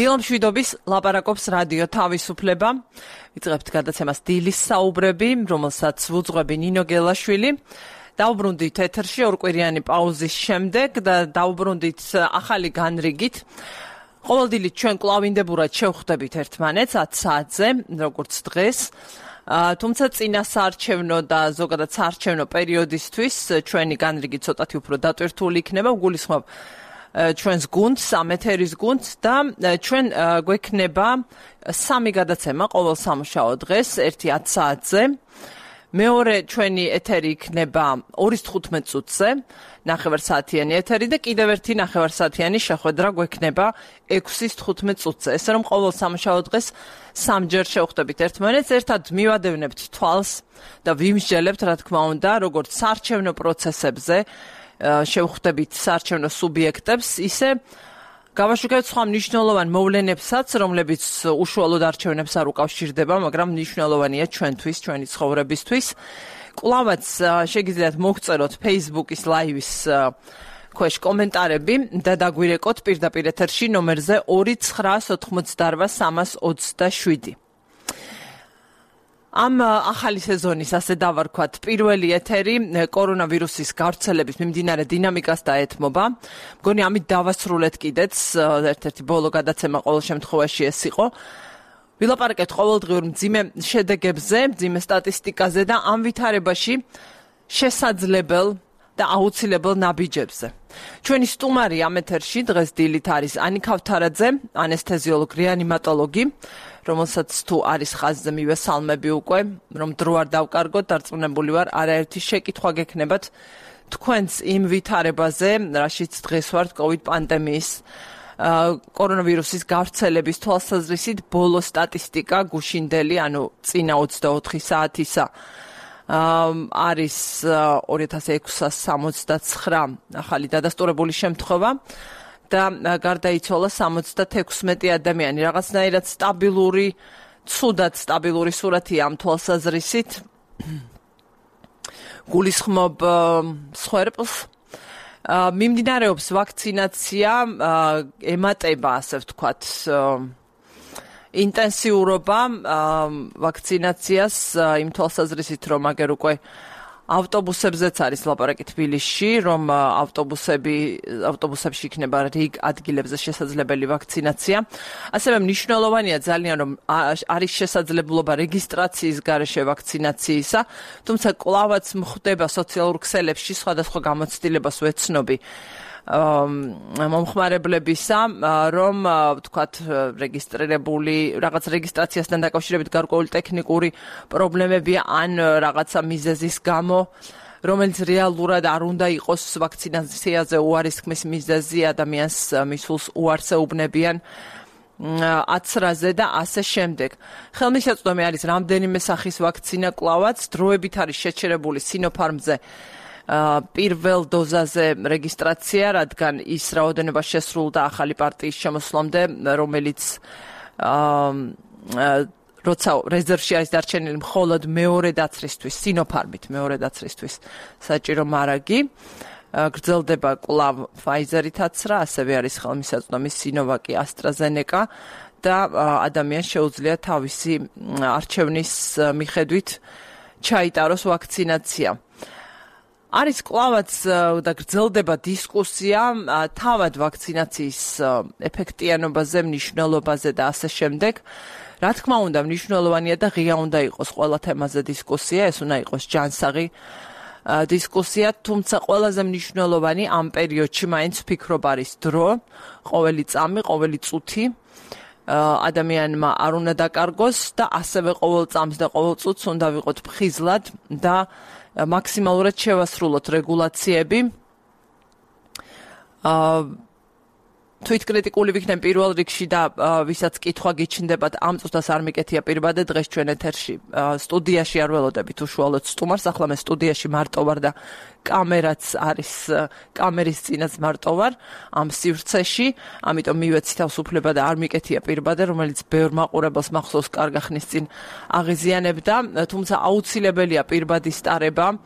დილო მშვიდობის ლაპარაკობს რადიო თავისუფლება. ვიწყებთ გადაცემას დილის საუბრები, რომელსაც ვუძღვები ნინო გელაშვილი. დავუბრუნდით ეთერში ორკვირიანი პაუზის შემდეგ და დავუბრუნდით ახალი განრიგით. ყოველდღიურად ჩვენ კლავინდებურად შევხვდებით ერთმანეთს 10 საათზე, როგორც დღეს. თუმცა წინა საარჩევნო და ზოგადად საარჩევნო პერიოდისთვის ჩვენი განრიგი ცოტათი უფრო დატვირთული იქნება. ვგულისხმობ ჩვენს გუნდს, ამ ეთერის გუნდს და ჩვენ გვექნება 3 გადაცემა ყოველ სამუშაო დღეს, ერთი 10 საათზე. მეორე ჩვენი ეთერი იქნება 2:15 წუთზე, 9 საათიანი ეთერი და კიდევ ერთი 9 საათიანი შეხვედრა გვექნება 6:15 წუთზე. ესე რომ ყოველ სამუშაო დღეს 3ჯერ შევხვდებით ერთმანეთს, ერთად მივადევნებთ თვალს და ვიმსჯელებთ, რა თქმა უნდა, როგორც საარჩევნო პროცესებზე შევხვდებით საარჩევნო სუბიექტებს, ისე გავაშუქებთ სხვა მნიშვნელოვან მოვლენებსაც, რომლებიც უშუალოდ არჩევნებს არ უკავშირდება, მაგრამ მნიშვნელოვანია ჩვენთვის, ჩვენი ცხოვრებისთვის. კვლავაც შეგიძლიათ მოგწეროთ Facebook-ის live-ის ქვეშ კომენტარები და დაგვირეკოთ პირდაპირ ეთერში ნომერზე 2988327. ამ ახალი სეზონის, ასე დავარქვათ, პირველი ეთერი კორონავირუსის გავრცელების მიმდინარე დინამიკას დაეთმობა. მგონი ამით დავასრულეთ კიდეც, ერთ-ერთი ბოლო გადაცემა ყოველ შემთხვევაში ეს იყო. ვილაპარაკეთ ყოველდღიურ მძიმე შედეგებზე, მძიმე სტატისტიკაზე და ამ ვითარებაში შესაძლებელ და აუცილებელ ნაბიჯებზე. ჩვენი სტუმარი ამ ეთერში დღეს დილით არის ანი ქავთარაძე, ანესთეზიოლოგი, რეანიმატოლოგი, რომელსაც თუ არის ხაზზე მივესალმები უკვე, რომ დრო არ დავკარგოთ, დარწმუნებული ვარ, არაერთი შეკითხვა გექნებათ თქვენს იმ ვითარებაზე, რაშიც დღეს ვართ COVID პანდემიის კორონავირუსის გავრცელების თვალსაზრისით ბოლო სტატისტიკა გუშინდელი, ანუ წინა 24 საათისა არის 2669 ახალი დადასტურებული შემთხვევა და გარდაიცვალა 76 ადამიანი. რაღაცნაირად სტაბილური, ცუდად სტაბილური სურათია ამ თვალსაზრისით. გულისხმობ სხვერპლს. მიმდინარეობს ვაქცინაცია, ემატება, ასე ვთქვათ, ინტენსიურობა ვაქცინაციას იმ თვალსაზრისით, რომ აგერ უკვე ავტობუსებზეც არის ლაპარაკი თბილისში, რომ ავტობუსებში იქნება რიგ ადგილებზე შესაძლებელი ვაქცინაცია. ასევე მნიშვნელოვანია ძალიან, რომ არის შესაძლებლობა რეგისტრაციის გარეშე ვაქცინაციისა, თუმცა კვლავაც მხდება სოციალურ ქსელებში სხვადასხვა გამოცდილებას ვეცნობი მომხმარებლებისა, რომ ვთქვათ რეგისტრირებული რაღაც რეგისტრაციასთან დაკავშირებით გარკვეული ტექნიკური პრობლემებია ან რაღაცა მიზეზის გამო, რომელიც რეალურად არ უნდა იყოს ვაქცინაციაზე უარისხმის მიზეზი, ადამიანს მისულს უარს ეუბნებიან აცრაზე და ასე შემდეგ. ხელმისაწვდომი არის რამდენიმე სახის ვაქცინა კვლავაც, დროებით არის შეჩერებული Sinopharm-ზე პირველ დოზაზე რეგისტრაცია, რადგან ის რაოდენობა შესრულდა ახალი პარტიის შემოსვლამდე, რომელიც როცა რეზერვში არის დარჩენილი მხოლოდ მეორე დაცრისთვის, Sinopharm-ით მეორე დაცრისთვის საჭირო მარაგი. გრძელდება კვლავ Pfizer-ითაც რა, ასევე არის ხელმისაწვდომი Sinovac, AstraZeneca და ადამიანს შეუძლია თავისი არჩევნის მიხედვით ჩაიტაროს ვაქცინაცია. არის კვლავაც და გრძელდება დისკუსია თავად ვაქცინაციის ეფექტიანობაზე, მნიშვნელობაზე და ასე შემდეგ. რა თქმა უნდა, მნიშვნელოვანია და ღია უნდა იყოს ყველა თემაზე დისკუსია, ეს უნდა იყოს ჯანსაღი დისკუსია, თუმცა ყველაზე მნიშვნელოვანი ამ პერიოდში მაინც ვფიქრობ არის დრო, ყოველი წამი, ყოველი წუთი ადამიანმა არ უნდა დაკარგოს და ასევე ყოველ წამს და ყოველ წუთს უნდა ვიყოთ ფხიზლად და მაქსიმალურად შევასრულოთ რეგულაციები. თვითკრიტიკული ვიქნებ პირველ რიგში და ვისაც კითხვა გიჩნდებათ ამ წუთას არ მიკეთია პირბადე დღეს ჩვენ ეთერში სტუდიაში არ ველოდებით უშუალოდ სტუმარს, ახლა მე სტუდიაში მარტო ვარ და კამერაც არის, კამერის წინაც მარტო ვარ ამ სივრცეში, ამიტომ მივეცი თავს უფლება და არ მიკეთია პირბადე, რომელიც ბევრ მაყურებელს მახსოვს კარგა ხნის წინ აღიზიანებდა, თუმცა აუცილებელია პირბადის ტარება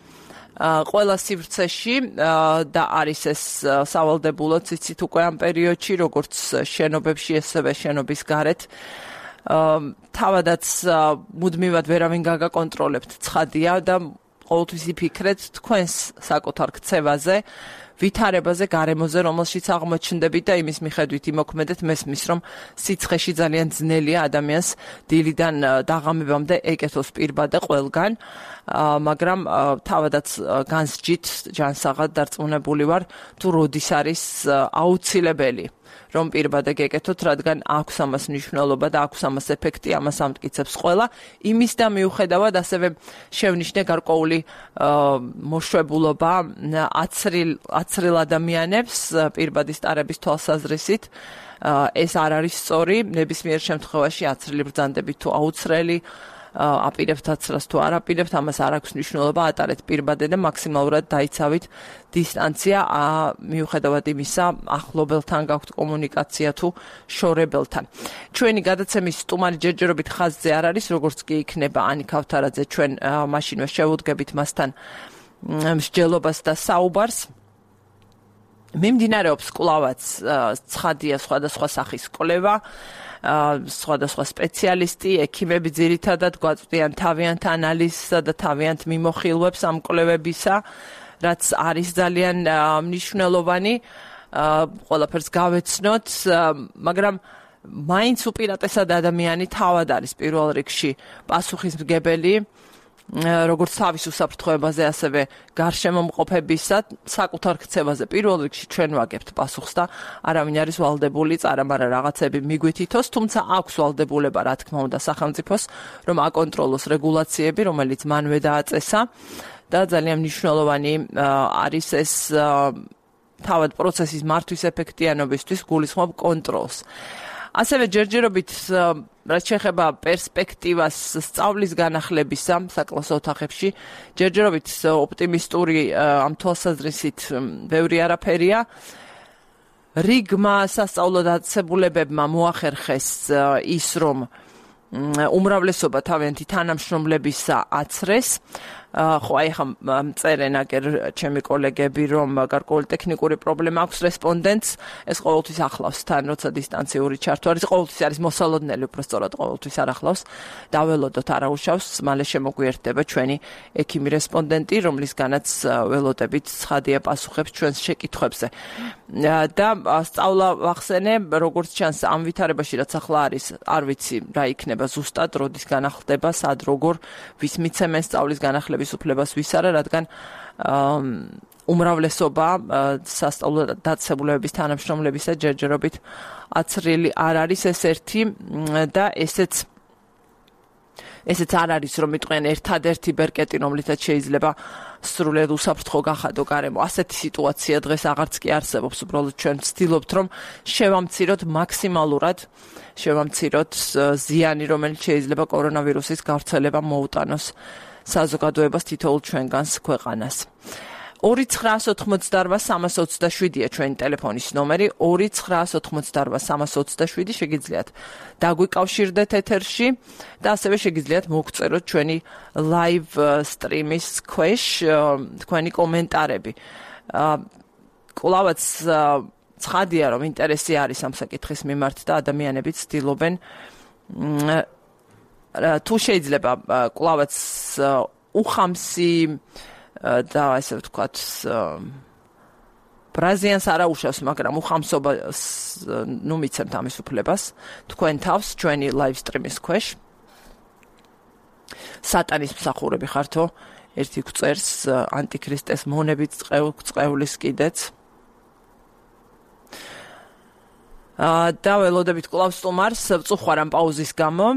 ყველა სივრცეში და არის ეს სავალდებულოც იცით უკვე ამ პერიოდში, როგორც შენობებში, ესევე შენობის გარეთ. თავადაც მუდმივად ვერავინ გაგაკონტროლებთ, ცხადია და ყოველთვის იფიქრეთ თქვენს საკუთარ ქცევაზე, ვითარებაზე, გარემოზე, რომელშიც აღმოჩნდებით და იმის მიხედვით იმოქმედეთ, მესმის, რომ სიცხეში ძალიან ძნელია ადამიანს დილიდან დაღამებამდე ეკეთოს პირბადე ყველგან, მაგრამ თავადაც განსჯით, ჯანსაღად დარწმუნებული ვარ, თუ როდის არის აუცილებელი რომ პირბადე გეკეთოთ, რადგან აქვს ამას მნიშვნელობა და აქვს ამას ეფექტი, ამას ამტკიცებს ყველა. იმის და მიუხედავად ასევე შევნიშნე გარკვეული მოშვებულობა აცრილ ადამიანებს პირბადის ტარების თვალსაზრისით. ეს არ არის სწორი, ნებისმიერ შემთხვევაში აცრილი ბრძანდებით თუ აუცრელი აპირებთ აცრას თუ არ აპირებთ, ამას არ აქვს მნიშვნელობა, ატარეთ პირბადე და მაქსიმალურად დაიცავით დისტანცია, მიუხედავად იმისა, ახლობელთან გაქვთ კომუნიკაცია თუ შორებელთან. ჩვენი გადაცემის სტუმარი ჯერჯერობით ხაზზე არ არის, როგორც კი იქნება ანი ქავთარაძე, ჩვენ მაშინვე შევუდგებით მასთან მსჯელობას და საუბარს. მიმდინარეობს კვლავაც ცხადია სხვადასხვა სახის კვლევა, სხვადასხვა სპეციალისტი, ექიმები ძირითადად გვაწვდიან თავიანთ ანალიზსა და თავიანთ მიმოხილვებს ამ კვლევებისა, რაც არის ძალიან მნიშვნელოვანი, ყველაფერს გავეცნოთ, მაგრამ მაინც უპირატესად ადამიანი თავად არის პირველ რიგში პასუხისმგებელი, როგორც თავის უსაფრთხოებაზე, ასევე გარშემო მყოფებისა, საკუთარ ქცევაზე პირველ რიგში ჩვენ ვაგებთ პასუხს და არავინ არის ვალდებული წარამარა რაღაცები მიგვითითოს, თუმცა აქვს ვალდებულება, რა თქმა უნდა, სახელმწიფოს, რომ აკონტროლოს რეგულაციები, რომელიც მანვე დააწესა და ძალიან მნიშვნელოვანი არის ეს თავად პროცესის მართვის ეფექტიანობისთვის გულისხმობ კონტროლს. ასევე ჯერჯერობით რაც შეეხება პერსპექტივას სწავლის განახლებისა საკლასო ოთახებში, ჯერჯერობით ოპტიმისტური ამ თვალსაზრისით ბევრი არაფერია. რიგმა სასწავლო დაწესებულებებმა მოახერხეს ის, რომ უმრავლესობა თავიანთი თანამშრომლებისა აცრეს. ხო, აი ხა წერენ აგერ ჩემი კოლეგები, რომ გარკვეული ტექნიკური პრობლემა აქვს რესპონდენტს, ეს ყოველთვის ახლავს თან, როცა დისტანციური ჩართვა არის, ყოველთვის არის მოსალოდნელი, უბრალოდ ყოველთვის არ ახლავს. დაველოდოთ არაუშავს, მალე შემოგვიერთდება ჩვენი ექიმი რესპონდენტი, რომლისგანაც ველოდებით ცხადია პასუხებს ჩვენს შეკითხვებზე. და სწავლა ვახსენე, როგორც ჩანს ამ ვითარებაში, რაც ახლა არის, არ ვიცი რა იქნება ზუსტად, როდის განახლდება, სად როგორ ვის მიცემენ სწავლის განახლებას უფლებას ვის არა, რადგან უმრავლესობა სასწავლო დაწესებულებების თანამშრომლებისა ჯერჯერობით აცრილი არ არის, ეს ერთი და ესეც არ არის, რომ მიტყვიან ერთადერთი ბერკეტი, რომლითაც შეიძლება სრულად უსაფრთხო გახადო გარემო. ასეთი სიტუაცია დღეს აღარც კი არსებობს, უბრალოდ ჩვენ ვცდილობთ, რომ შევამციროთ მაქსიმალურად ზიანი, რომელიც შეიძლება კორონავირუსის გავრცელება მოუტანოს საზოგადოებას თითოეულ ჩვენგანს ქვეყანას. 2988327-ია ჩვენი ტელეფონის ნომერი, 2988327 შეგიძლიათ დაგვიკავშირდეთ ეთერში და ასევე შეგიძლიათ მოგწეროთ ჩვენი live stream-ის ქვეშ თქვენი კომენტარები. კვლავაც ცხადია, რომ ინტერესი არის ამ საკითხის მიმართ და ადამიანები ცდილობენ თუ შეიძლება კვლავაც უხამსი და ესე ვთქვათ ბრაზიანს არ აუშავს, მაგრამ უხამსობას მიცემთ ამის უფლებას თქვენ თავს ჩვენი live stream-ის ქვეშ. სატანის მსახურები ხართო, ერთი გვწერს ანტიქრისტეს მონებით წყევლის კიდეც. და ველოდებით კვლავ სტუმარს, ვწუხარ ამ პაუზის გამო.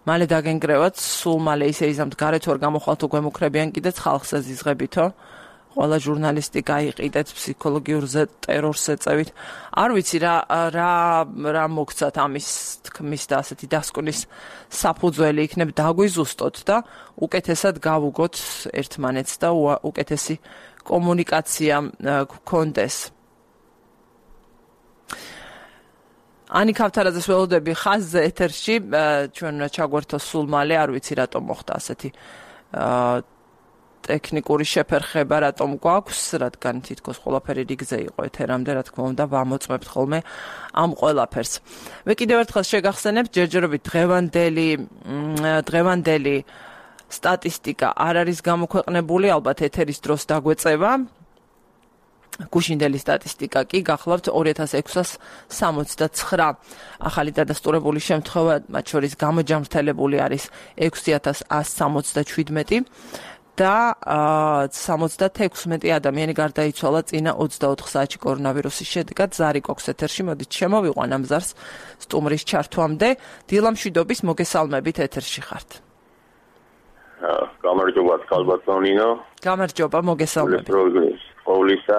მალე დაგენგრევათ, სულ მალე ისე იზამთ გარეთ ვარ გამოხვალთ უგვემუქრებიან კიდეც ხალხს ეზიზღებითო. ყველა ჟურნალისტი გაიყიდეთ ფსიქოლოგიურ ტერორს ეწევით. არ ვიცი რა მოგცათ ამის თქმის და ასეთი დასკვნის საფუძველი იქნებ დაგვიზუსტოთ და უკეთესად გავუგოთ ერთმანეთს და უკეთესი კომუნიკაცია გქონდეს. ანი ქავთარაძეს ველოდები ხაზზე ეთერში, ჩვენ ჩაგვერთო სულ მალე, არ ვიცი რატომ მოხდა ასეთი ტექნიკური შეფერხება რატომ გვაქვს, რადგან თითქოს ყველაფერი რიგზე იყო ეთერამდე, რა თქმა უნდა, ვამოწმებთ ხოლმე ამ ყველაფერს. მე კიდევ ერთხელ შეგახსენებთ, ჯერჯერობით დღევანდელი სტატისტიკა არ არის გამოქვეყნებული, ალბათ ეთერის დროს დაგვეწევა. გუშინდელი სტატისტიკა კი გახლავთ 2669 ახალი დადასტურებული შემთხვევა, მათ შორის გამოჯამრთელებული არის 6177 და 76 ადამიანი გარდაიცვალა წინა 24 საათში კორონავირუსის შედეგად. ზარი გვაქვს ეთერში, მოდით შემოვიყვან ამ ზარს სტუმრის ჩართვამდე. დილა მშვიდობის, მოგესალმებით, ეთერში ხართ. გამარჯობა, კალბატონინო. გამარჯობა, მოგესალმებით. ყოვლისა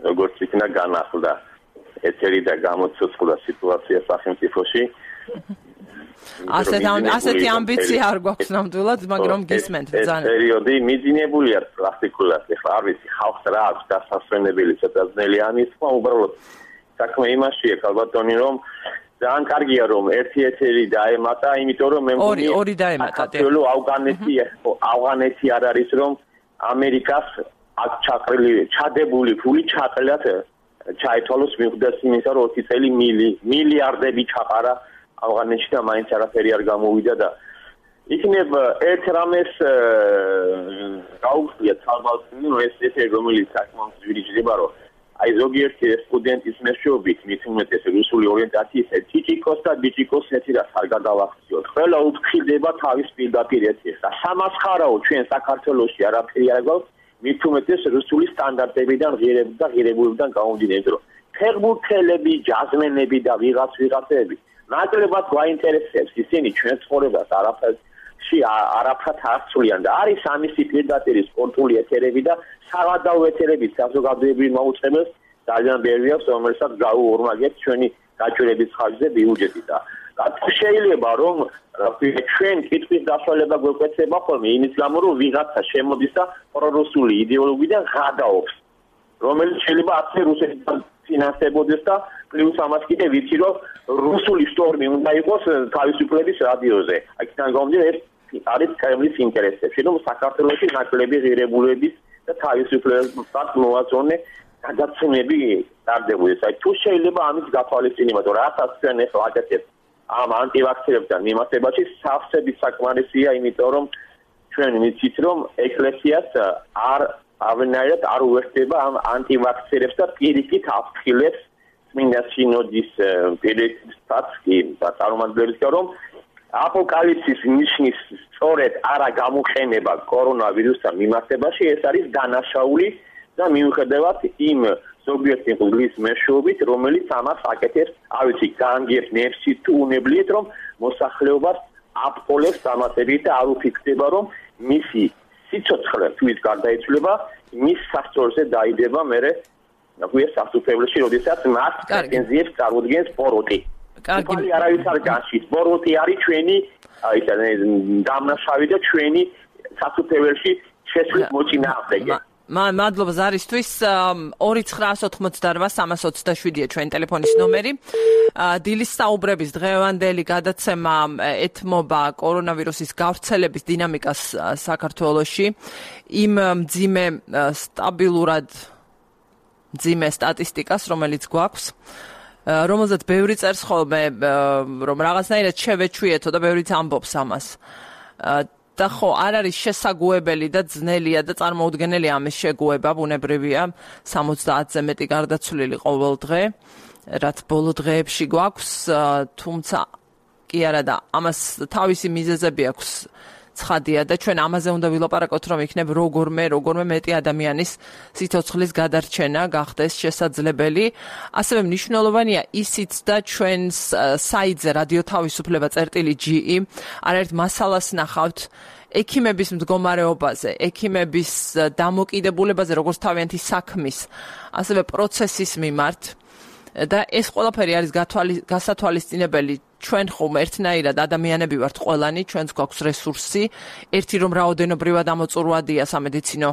როგორც იქნა განახლდა ეთერი და გამოცოცხლა სიტუაცია სახელმწიფოში. ასეთი ამბიცია არ გვაქვს ნამდვილად, მაგრამ გისმენთ ძალიან. პერიოდი მიძინებულია პრაქტიკულად, ეხლა არ ვიცი ხალხს რა აქვს დასასვენებელი ცოტა ძნელი ამის, უბრალოდ საქმე იმაშია კალბატონი, რომ ძალიან კარგია რომ ერთი ეთერი დაემატა, იმიტომ რომ მე მგონი ორი დაემატა. ავღანეთი არ არის რომ ამერიკას აქ ჩადებული ფული ჩაყრილად ჩაითვალოს მიუხედავად იმისა, რომ 20 წელი მილიარდები ჩაყარა ავღანეთში და მაინც არაფერი არ გამოვიდა და იქნებ ერთ რამეს გაუხდია თვალბალწინი, რომ ეს ეთერი რომელიც საკმაოდ ძვირიჭდება, რომ აი ზოგიერთი სტუდენტის მეშვეობით მით უმეტეს რუსული ორიენტაციის ტიჭიკოს და ბიჭიკოს ეთერას არ გადავახციოთ. ყველა უფრთხილდება თავის პირდაპირ ეთერს და სამასხარაო ჩვენ საქართველოში არაფერი არ გვაქვს. მით უმეტეს რუსული სტანდარტებიდან ღირებულებიდან გამომდინარე, რომ ფეხბურთელები, ჯაზმენები და ვიღაცები ნაკლებად გვაინტერესებს ისინი ჩვენ ცხოვრებას არაფრად არცვლიან და არის ამისი პირდაპირი სპორტული ეთერები და სავადაო ეთერები საზოგადოებრივ მოუწყებელს ძალიან ბევრი აქვს, რომელსაც გაუორმაგებთ ჩვენი გაჭირების ხარჯზე ბიუჯეტი და შეიძლება რომ ჩვენ კითხვის დასვალება გვეკვეცება ხოლმე იმის გამო რომ ვიღაცა შემოდის და პრორუსული იდეოლოგიიდან ღადაობს, რომელიც შეიძლება ასე რუსეთიდან ფინანსებოდეს და პლუს ამას კიდე ვიცი რომ რუსული შტორმი უნდა იყოს თავისუფლების რადიოზე. აქედან გამომდინარე ეს არის კრემლის ინტერესებში, რომ საქართველოში ნაკლები ღირებულების და თავისუფლებას მოაწონე გადაცემები ტარდებოდეს. აი თუ შეიძლება ამის გათვალისწინება, რომ რასაც ჩვენ ახლა აკეთებთ ამ ანტივაქსერებთან მიმართებაში სავსები საკმარისია, იმიტომ რომ ჩვენ ვიცით რომ ეკლესიას ავენაირად არ უერთდება ამ ანტივაქსერებს და პირიქით აფრთხილებს წმინდა სინოდის პირიქითაც კი წარმომადგენლებს, რომ აპოკალიფსის ნიშნის სწორედ არა გამოყენება კორონავირუსთან მიმართებაში ეს არის დანაშაული და მიუხედავად იმ ზოგიერთი მღვდლის მეშვეობით, რომელიც ამას აკეთებს, არ ვიცი, განგებს ნებსი თუ უნებლიეთ, რომ მოსახლეობას აპყოლებს დამატებით და არ უფიქრდება, რომ მისი სიცოცხლე თუ ის გარდაიცვლება, მის სასწორზე დაიდება მერე ნაგვია სასუფეველში, როდესაც მას პრეტენზიებს წარმოადგენს პოროტი. კარგი, არავის არ განშით. პოროტი არის ჩვენი, აი ეს დამნაშავე და ჩვენი სასუფეველში შესვლის მოწინააღმდეგე. მადლობა ზარისთვის. 2988327-ია ჩვენი ტელეფონის ნომერი. დილის საუბრების დღევანდელი გადაცემა ეთმობა კორონავირუსის გავრცელების დინამიკას საქართველოში. იმ მძიმე სტატისტიკას, რომელიც გვაქვს, რომელზეც ბევრი წერს ხოლმე, რომ რაღაცნაირად შევეჩვიეთო და ბევრიც ამბობს ამას. და ხო, არ არის შესაგუებელი და ძნელია და წარმოუდგენელი ამის შეგუება, ბუნებრივია, 70-ზე მეტი გარდაცვლილი ყოველ დღე, რაც ბოლო დღეებში გვაქვს, თუმცა კი არა და ამას თავისი მიზეზები აქვს. ცხადია და ჩვენ ამაზე უნდა ვილაპარაკოთ, რომ იქნებ როგორმე მეტი ადამიანის სიცოცხლის გადარჩენა გახდეს შესაძლებელი. ასევე მნიშვნელოვანია ისიც და ჩვენს საიტზე რადიო თავისუფლება წერტილი.ge არაერთ მასალას ნახავთ ექიმების მდგომარეობაზე, ექიმების დამოკიდებულებაზე, როგორც თავიანთი საქმის, ასევე პროცესის მიმართ. და ეს ყველაფერი არის გასათვალისწინებელი. ჩვენ ხომ ერთნაირად ადამიანები ვართ ყველანი, ჩვენც გვაქვს რესურსი, ერთი რომ რაოდენობრივად ამოწურვადია სამედიცინო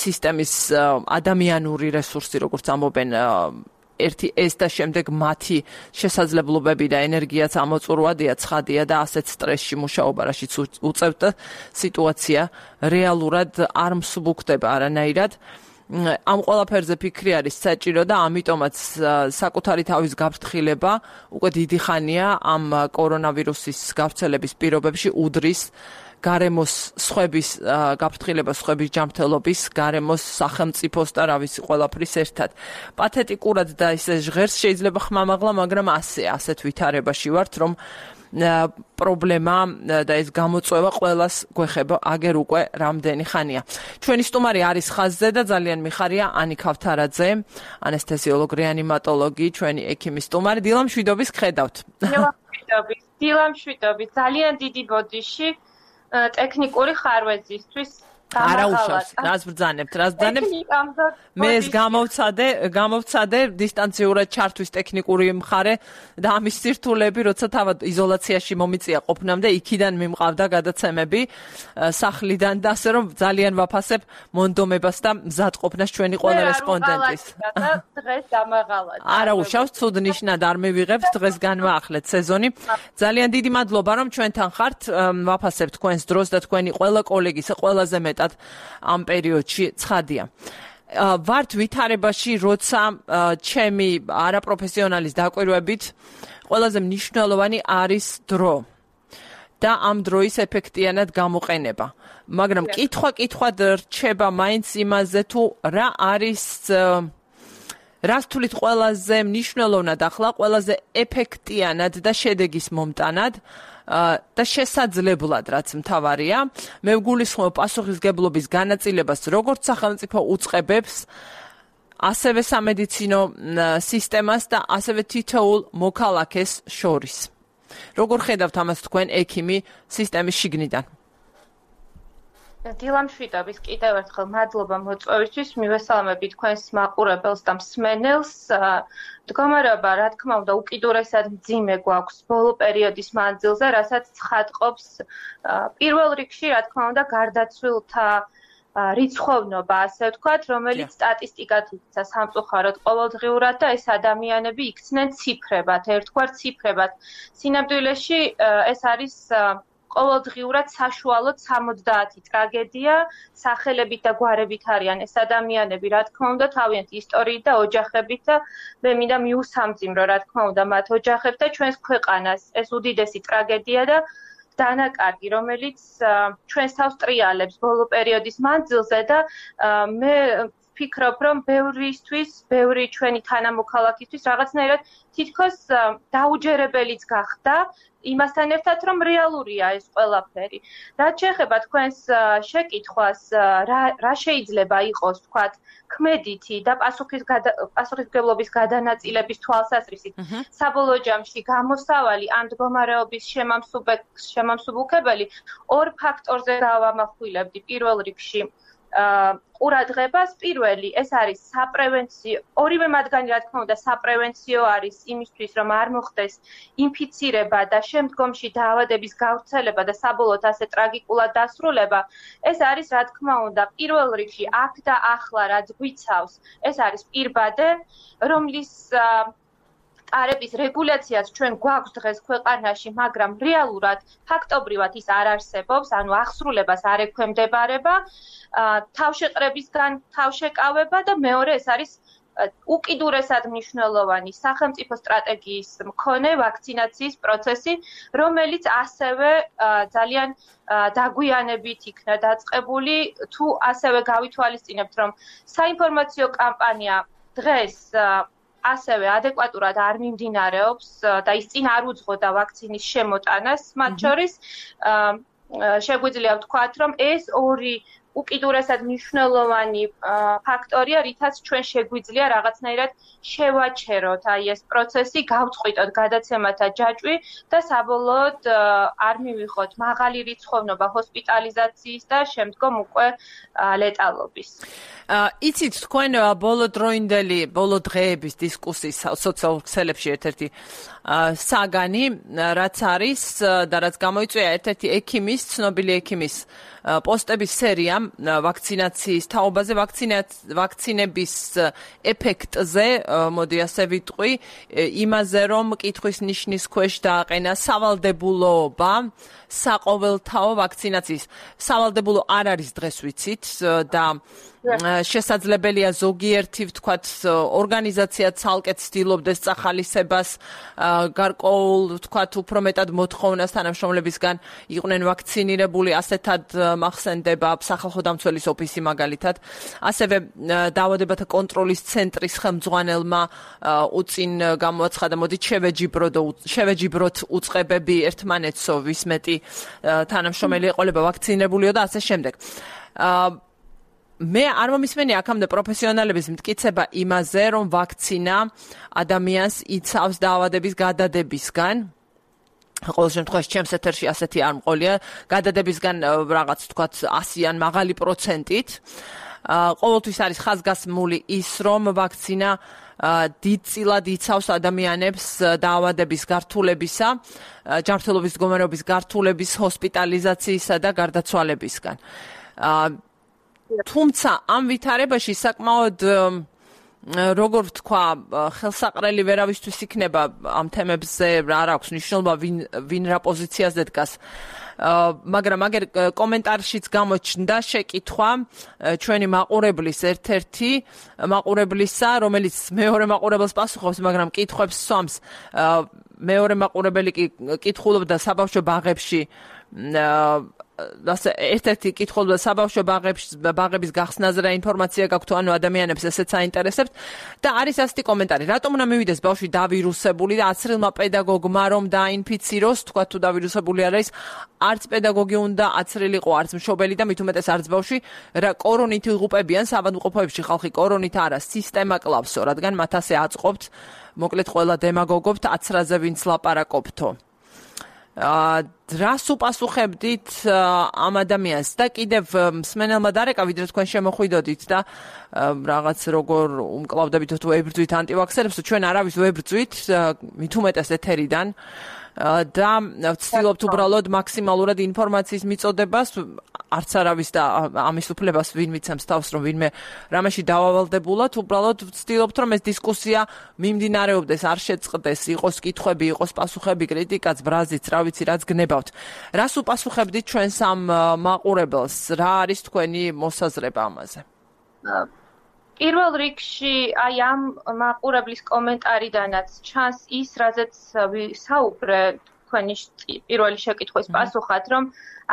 სისტემის ადამიანური რესურსი, როგორც ამობენ ერთი ეს და შემდეგ მათი შესაძლებლობები და ენერგიაც ამოწურვადია, ცხადია და ასეთ სტრესში მუშაობა, რაშიც უწევთ და სიტუაცია რეალურად არ მსუბუქდება არანაირად. ამ ყველაფერზე ფიქრი არის საჭირო და ამიტომაც საკუთარი თავის გაფრთხილება უკვე დიდი ხანია ამ კორონავირუსის გავრცელების პირობებში უდრის გარემოს სხვების გაფრთხილებას, სხვების ჯანმრთელობის, გარემოს სახელმწიფოს და რა ვიცი ყველაფრის ერთად. პათეტიკურად და ისე ჟღერს შეიძლება ხმამაღლა, მაგრამ ასეთ ვითარებაში ვართ, რომ პრობლემა და ეს გამოწვევა ყველას გვეხება აგერ უკვე რამდენი ხანია. ჩვენი სტუმარი არის ხაზზე და ძალიან მიხარია ანი ქავთარაძე, ანესთეზიოლოგი, რეანიმატოლოგი, ჩვენი ექიმის სტუმარი. დილამშვიდობის გხედავთ. დილამშვიდობის. ძალიან დიდი ბოდიში ტექნიკური ხარვეზისთვის. არა უშავს, რას ბრძანებთ? მე ეს გამოვცადე დისტანციურად ჩართვის ტექნიკური მხარე და ამის სირთულეები, როცა თავად იზოლაციაში მომიწია ყოფნამდე, იქიდან მიმყავდა გადაცემები სახლიდან და ასე რომ ძალიან ვაფასებ მონდომებას და მზადყოფნას ჩვენი ყველა რესპონდენტის. დღეს დამაღალად. არა უშავს, ცუდ ნიშნად არ მივიღებთ, დღეს განვაახლეთ სეზონი. ძალიან დიდი მადლობა რომ ჩვენთან ხართ. ვაფასებ თქვენს დროს და თქვენი ყველა კოლეგის ყველაზე მეტად ამ პერიოდში ცხადია. ვართ ვითარებაში, როცა ჩემი არაპროფესიონალის დაკვირვებით ყველაზე მნიშვნელოვანი არის დრო და ამ დროის ეფექტიანად გამოყენება. მაგრამ კითხვად რჩება მაინც იმაზე თუ რა არის რას თulit ყველაზე მნიშვნელოვნად ახლა, ყველაზე ეფექტიანად და შედეგის მომტანად და შესაძლებლად, რაც მთავარია, მე ვგულისხმობ პასუხისგებლობის განაწილებას როგორც სახელმწიფო უწყებებს, ასევე სამედიცინო სისტემას და ასევე თითოეულ მოქალაქეს შორის. როგორ ხედავთ ამას თქვენ ექიმი სისტემის შიგნიდან? დილამშვიდობის კიდევ ერთხელ მადლობა მოწვევისთვის, მივესალმები თქვენს მაყურებელს და მსმენელს. მდგომარეობა, რა თქმა უნდა, უკიდურესად მძიმე გვაქვს ბოლო პერიოდის მანძილზე, რასაც ცხადყოფს პირველ რიგში, რა თქმა უნდა, გარდაცვლილთა რიცხოვნობა, ასე ვთქვათ, რომელიც სტატისტიკად იქცა სამწუხაროდ ყოველდღიურად და ეს ადამიანები იქცნენ ციფრებად, ერთგვარ ციფრებად. სინამდვილეში ეს არის ყოველდღიურად საშუალოდ 70 ტრაგედია, სახელებით და გვარებით არიან ეს ადამიანები, რა თქმა უნდა, თავიანთი ისტორიით და ოჯახებით და მე მინდა მიუსამძიმრო, რა თქმა უნდა, მათ ოჯახებს და ჩვენს ქვეყანას. ეს უდიდესი ტრაგედია და დანაკარგი, რომელიც ჩვენს თავს ტრიალებს ბოლო პერიოდის მანძილზე და მე ვფიქრობ, რომ ბევრი ჩვენი თანამოქალაქისთვის რაღაცნაირად თითქოს დაუჯერებელიც გახდა იმასთან ერთად, რომ რეალურია ეს ყველაფერი. რაც შეეხება თქვენს შეკითხვას, რა შეიძლება იყოს, ვთქვათ, ქმედითი და პასუხისმგებლობის გადანაწილების თვალსაზრისით, საბოლოო ჯამში გამოსავალი ამ მდგომარეობის შემამსუბუქებელი ორ ფაქტორზე გავამახვილებდი პირველ რიგში. ყურადღებას პირველი ეს არის საპრევენციო, ორივე მათგანი რა თქმა უნდა საპრევენციო არის იმისთვის რომ არ მოხდეს ინფიცირება და შემდგომში დაავადების გავრცელება და საბოლოოდ ასე ტრაგიკულად დასრულება. ეს არის რა თქმა უნდა პირველ რიგში აქ და ახლა რაც გვიცავს, ეს არის პირბადე, რომლის არების რეგულაციაც ჩვენ გვაქვს დღეს ქვეყანაში, მაგრამ რეალურად ფაქტობრივად ის არ არსებობს, ანუ აღსრულებას არ ექვემდებარება, თავშეყრებისგან თავშეკავება და მეორე ეს არის უკიდურესად მნიშვნელოვანი სახელმწიფო სტრატეგიის მქონე ვაქცინაციის პროცესი, რომელიც ასევე ძალიან დაგვიანებით იქნა დაწყებული, თუ ასევე გავითვალისწინებთ, რომ საინფორმაციო კამპანია დღეს ასევე ადეკვატურად არ მიმდინარეობს და ის წინ არ უძღოდა ვაქცინის შემოტანას, მათ შორის შეგვიძლია ვთქვათ, რომ ეს ორი უკიდურესად მნიშვნელოვანი ფაქტორია, რითაც ჩვენ შეგვიძლია რაღაცნაირად შევაჩეროთ აი ეს პროცესი, გავწყვიტოთ გადაცემათა ჯაჭვი და საბოლოოდ არ მივიღოთ მაღალი რიცხოვნობა ჰოსპიტალიზაციის და შემდგომ უკვე ლეტალობის. იცით, თქვენ ბოლო დღეების დისკუსიის სოციალურ ქსელებში ერთ-ერთი საგანი, რაც არის და რაც გამოიწვია ერთ-ერთი ექიმის, ცნობილი ექიმის პოსტების სერია ვაქცინაციის თაობაზე, ვაქცინების ეფექტზე, მოდი ასე ვიტყვი, იმაზე, რომ კითხვის ნიშნის ქვეშ დააყენა სავალდებულოობა საყოველთაო ვაქცინაციის. სავალდებულო არ არის დღეს ვიცით და შესაძლებელია ზოგიერთი ვთქვათ ორგანიზაცია ცალკე ცდილობდეს წახალისებას გარკვეულ ვთქვათ უფრო მეტად მოთხოვნას თანამშრომლებისგან იყვნენ ვაქცინირებული, ასეთად მახსენდება სახალხო დამცველის ოფისი მაგალითად. ასევე დაავადებათა კონტროლის ცენტრის ხელმძღვანელმა უწინ გამოაცხადა, მოდით შევეჯიბროთ უწყებები ერთმანეთსო, ვის მეტი თანამშრომელი ეყოლება ვაქცინირებულიო და ასე შემდეგ. მე არ მომისმენია აქამდე პროფესიონალების მტკიცება იმაზე, რომ ვაქცინა ადამიანს იცავს დაავადების გადადებისგან. ყოველ შემთხვევაში ჩემს ეთერში ასეთი არ მყოლია, გადადებისგან რაღაც თქვათ 100-ან მაღალი პროცენტით. ყოველთვის არის ხაზგასმული ის, რომ ვაქცინა დიდწილად იცავს ადამიანებს დაავადების გართულებისა, ჯანმრთელობის მდგომარეობის გართულების, ჰოსპიტალიზაციისა და გარდაცვალებისგან. თუმცა ამ ვითარებაში საკმაოდ როგორ ვთქვა, ხელსაყრელი ვერავისთვის იქნება ამ თემებზე არ აქვს მნიშვნელობა ვინ რა პოზიციაზე დგას. მაგრამ აგერ კომენტარშიც გამოჩნდა შეკითხვა ჩვენი მაყურებლის ერთ-ერთი მაყურებლისა, რომელიც მეორე მაყურებელს პასუხობს, მაგრამ კითხვებს სვამს. მეორე მაყურებელი კი კითხულობდა საბავშვო ბაღებში ერთ-ერთი კითხულობდა საბავშვო ბაღების გახსნაზე რა ინფორმაცია გაქვთ, ანუ ადამიანებს ესეც აინტერესებთ და არის ასეთი კომენტარი. რატომ უნდა მივიდეს ბავშვი დავირუსებული და აცრილმა პედაგოგმა რომ დაინფიციროს, თქვა თუ დავირუსებული არ არის, არც პედაგოგი უნდა აცრილიყო, არც მშობელი და მით უმეტეს არც ბავშვი, რა კორონით იღუპებიან საბანკოფოებში ხალხი კორონით არა, სისტემა კლავსო, რადგან მათ ასე აწყობთ, მოკლედ ყველა დემაგოგობთ აცრაზე ვინც ლაპარაკობთო. რას უპასუხებდით ამ ადამიანს და კიდევ მსმენელმა დარეკა, ვიდრე თქვენ შემოხვიდოდით და რაღაც როგორ უმკლავდებით თუ ვებრძვით ანტივაქსერებს, ჩვენ არავის ვებრძვით, მით უმეტეს ეთერიდან და ვცდილობთ უბრალოდ მაქსიმალურად ინფორმაციის მიწოდებას, არც არავის და ამის უფლებას ვინ მიცემს თავს, რომ ვინმე რამეში დავავალდებულად, უბრალოდ ვცდილობთ, რომ ეს დისკუსია მიმდინარეობდეს, არ შეწყდეს, იყოს კითხვები, იყოს პასუხები, კრიტიკაც, ბრაზიც, რა ვიცი, რაც გნებავთ. რას უპასუხებდით ჩვენს ამ მაყურებელს? რა არის თქვენი მოსაზრება ამაზე? პირველ რიგში აი ამ მაყურებლის კომენტარიდანაც ჩანს ის, რაზეც ვისაუბრე თქვენი პირველი შეკითხვის პასუხად, რომ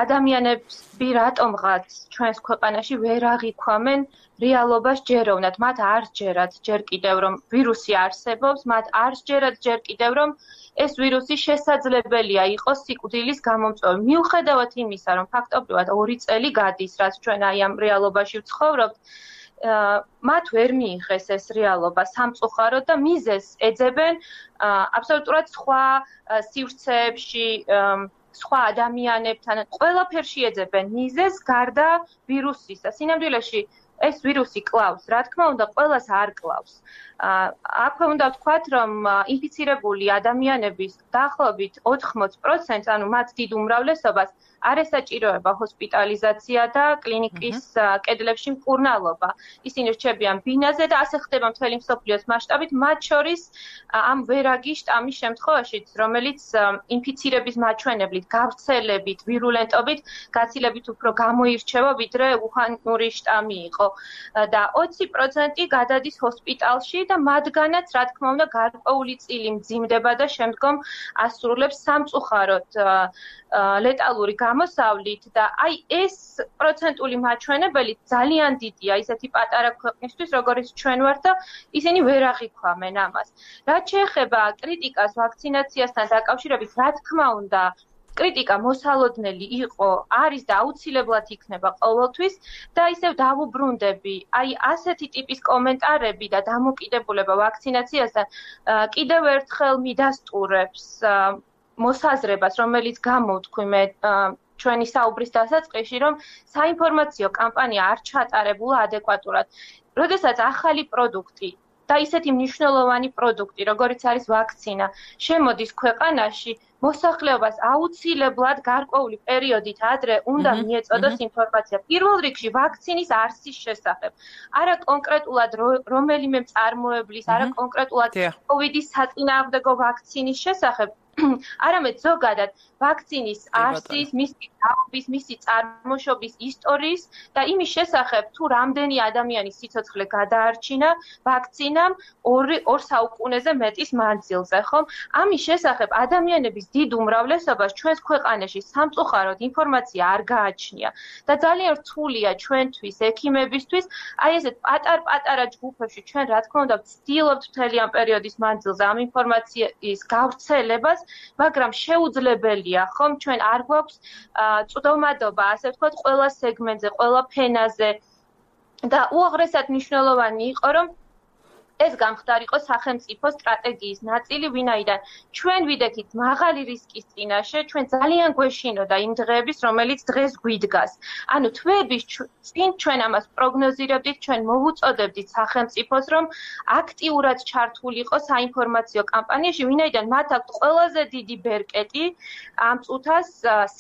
ადამიანებს რატომღაც ჩვენს ქვეყანაში ვერ აღიქვამენ რეალობას ჯეროვნად. მათ არ ჯერათ ჯერ კიდევ რომ ვირუსი არსებობს, მათ არ ჯერათ ჯერ კიდევ რომ ეს ვირუსი შესაძლებელია იყოს სიკვდილის გამომწვევი. მიუხედავად იმისა, რომ ფაქტობრივად 2 წელი გადის, რაც ჩვენ აი ამ რეალობაში ვცხოვრობთ, მათ ვერ მიიღეს ეს რეალობა სამწუხაროდ და მიზეზს ეძებენ აბსოლუტურად სხვა სივრცეებში, სხვა ადამიანებთან, ყველაფერში ეძებენ მიზეზს გარდა ვირუსისა. სინამდვილეში ეს ვირუსი კლავს, რა თქმა უნდა, ყველას არ კლავს. აქვე უნდა ვთქვათ, რომ ინფიცირებული ადამიანების დაახლოებით 80%, ანუ მათ დიდ უმრავლესობას არ ესაჭიროება ჰოსპიტალიზაცია და კლინიკის კედლებში მკურნალობა. ისინი რჩებიან ბინაზე და ასე ხდება მთელი მსოფლიოს მასშტაბით, მათ შორის ამ ვერაგი შტამის შემთხვევაშიც, რომელიც ინფიცირების მაჩვენებლით, გავრცელებით, ვირულენტობით გაცილებით უფრო გამოირჩევა, ვიდრე უხანური შტამი იყო. და 20% გადადის ჰოსპიტალში და მათგანაც, რა თქმა უნდა, გარკვეული წილი მძიმდება და შემდგომ ასრულებს სამწუხაროდ ლეტალური გამოსავლით და აი ეს პროცენტული მაჩვენებელი ძალიან დიდია ისეთი პატარა ქვეყნისთვის, როგორიც ჩვენ ვართ და ისინი ვერ აღიქვამენ ამას. რაც შეეხება კრიტიკას ვაქცინაციასთან დაკავშირებით, რა თქმა უნდა, კრიტიკა მოსალოდნელი იყო, არის და აუცილებლად იქნება ყოველთვის და ისევ დავუბრუნდები, აი ასეთი ტიპის კომენტარები და დამოკიდებულება ვაქცინაციასთან კიდევ ერთხელ მიდასტურებს მოსაზრებას, რომელიც გამოვთქვი მე ჩვენი საუბრის დასაწყისში, რომ საინფორმაციო კამპანია არ ჩატარებულა ადეკვატურად. როდესაც ახალი პროდუქტი და ისეთი მნიშვნელოვანი პროდუქტი, როგორიც არის ვაქცინა, შემოდის ქვეყანაში, მოსახლეობას აუცილებლად გარკვეული პერიოდით ადრე უნდა მიეწოდოს ინფორმაცია. პირველ რიგში ვაქცინის არსის შესახებ. არა კონკრეტულად რომელიმე მწარმოებლის, არა კონკრეტულად COVID-ის საწინააღმდეგო ვაქცინის შესახებ, არამედ ზოგადად ვაქცინის არსის, მისი დაობის, მისი წარმოშობის ისტორიის და იმის შესახებ, თუ რამდენი ადამიანის სიცოცხლე გადაარჩინა ვაქცინამ 2 საუკუნეზე მეტის მანძილზე, ხომ? ამის შესახებ ადამიანების დიდ უმრავლესობას ჩვენს ქვეყანაში სამწუხაროდ ინფორმაცია არ გააჩნია და ძალიან რთულია ჩვენთვის, ექიმებისთვის, აი ესეთ პატარ-პატარა ჯგუფებში ჩვენ რა თქმა უნდა ვცდილობთ მთელი ამ პერიოდის მანძილზე ამ ინფორმაციის გავრცელებას, მაგრამ შეუძლებელია, ხომ, ჩვენ არ გვაქვს წვდომადობა, ასე ვთქვათ, ყველა სეგმენტზე, ყველა ფენაზე და უაღრესად მნიშვნელოვანი იყო, რომ ეს გამხდარიყო სახელმწიფო სტრატეგიის ნაწილი, ვინაიდან ჩვენ ვიდექით მაღალი რისკის წინაშე, ჩვენ ძალიან გვეშინოდა იმ დღეების, რომელიც დღეს გვიდგას. ანუ თვეების წინ ჩვენ ამას პროგნოზირებდით, ჩვენ მოვუწოდებდით სახელმწიფოს, რომ აქტიურად ჩართულიყო საინფორმაციო კამპანიაში, ვინაიდან მათ აქვთ ყველაზე დიდი ბერკეტი ამ წუთას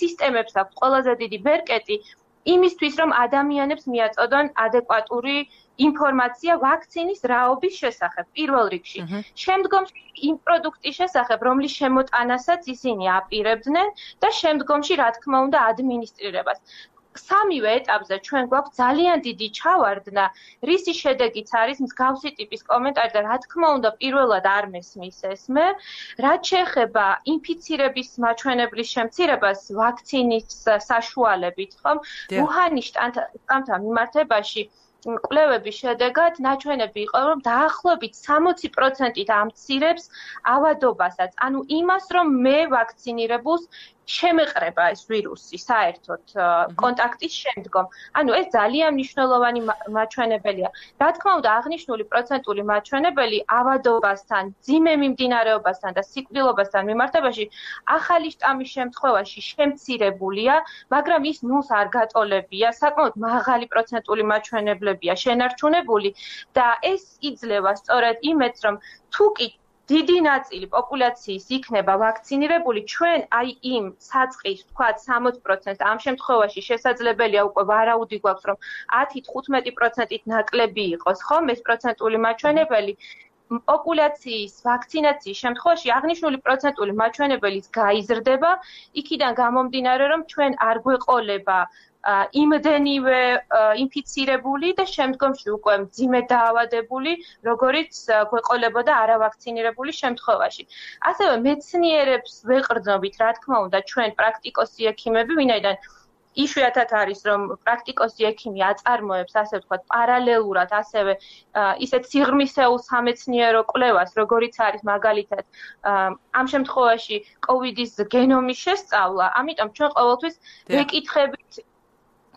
სისტემებს აქვთ ყველაზე დიდი ბერკეტი იმისთვის, რომ ადამიანებს მიაწოდონ ადეკვატური ინფორმაცია ვაქცინის რაობის შესახებ პირველ რიგში. შემდგომში იმ პროდუქტის შესახებ, რომლის შემოტანასაც ისინი აპირებდნენ და შემდგომში, რა თქმა უნდა, ადმინისტრირებას. სამივე ეტაპზე ჩვენ გვაქვს ძალიან დიდი ჩავარდნა, რისი შედეგიც არის მსგავსი ტიპის კომენტარი და რა თქმა უნდა, პირველად არ მესმის ესმე, რაც შეეხება ინფიცირების მაჩვენებლის შემცირებას ვაქცინის საშუალებით, ხომ? უჰანის შტამთან მიმართებაში კვლევების შედეგად ნაჩვენები იყო, რომ დაახლოებით 60%-ით ამცირებს ავადობასაც. ანუ იმას, რომ მე ვაქცინირებულს შემეყრება ეს ვირუსი საერთოდ კონტაქტის შემდგომ. ანუ ეს ძალიან მნიშვნელოვანი მაჩვენებელია. რა თქმა უნდა, აღნიშნული პროცენტული მაჩვენებელი ავადობასთან, მძიმე მიმდინარეობასთან და სიკვდილობასთან მიმართებაში ახალი შტამის შემთხვევაში შემცირებულია, მაგრამ ის ნულს არ გატოლებია, საკმაოდ მაღალი პროცენტული მაჩვენებლებია შენარჩუნებული და ეს იძლევა სწორედ იმედს, რომ თუ კი დიდი ნაწილი პოპულაციის იქნება ვაქცინირებული, ჩვენ აი იმ საწყის, ვთქვათ, 60% ამ შემთხვევაში შესაძლებელია უკვე ვარაუდი გვაქვს, რომ 10-15%-ით ნაკლები იყოს, ხომ, ეს პროცენტული მაჩვენებელი. პოპულაციის ვაქცინაციის შემთხვევაში აღნიშნული პროცენტული მაჩვენებელიც გაიზრდება, იქიდან გამომდინარე, რომ ჩვენ არ გვეყოლება იმდენივე ინფიცირებული და შემდგომში უკვე მძიმე დაავადებული, როგორიც გვეყოლებოდა არავაქცინირებული შემთხვევაში. ასევე მეცნიერებს ვეყრდნობით, რა თქმა უნდა, ჩვენ პრაქტიკოსი ექიმები, ვინაიდან იშვიათად არის, რომ პრაქტიკოსი ექიმი აწარმოებს, ასე ვთქვათ, პარალელურად ასევე ისეთ სიღრმისეულ სამეცნიერო კვლევას, როგორიც არის მაგალითად ამ შემთხვევაში COVID-ის გენომის შესწავლა, ამიტომ ჩვენ ყოველთვის ვეკითხებით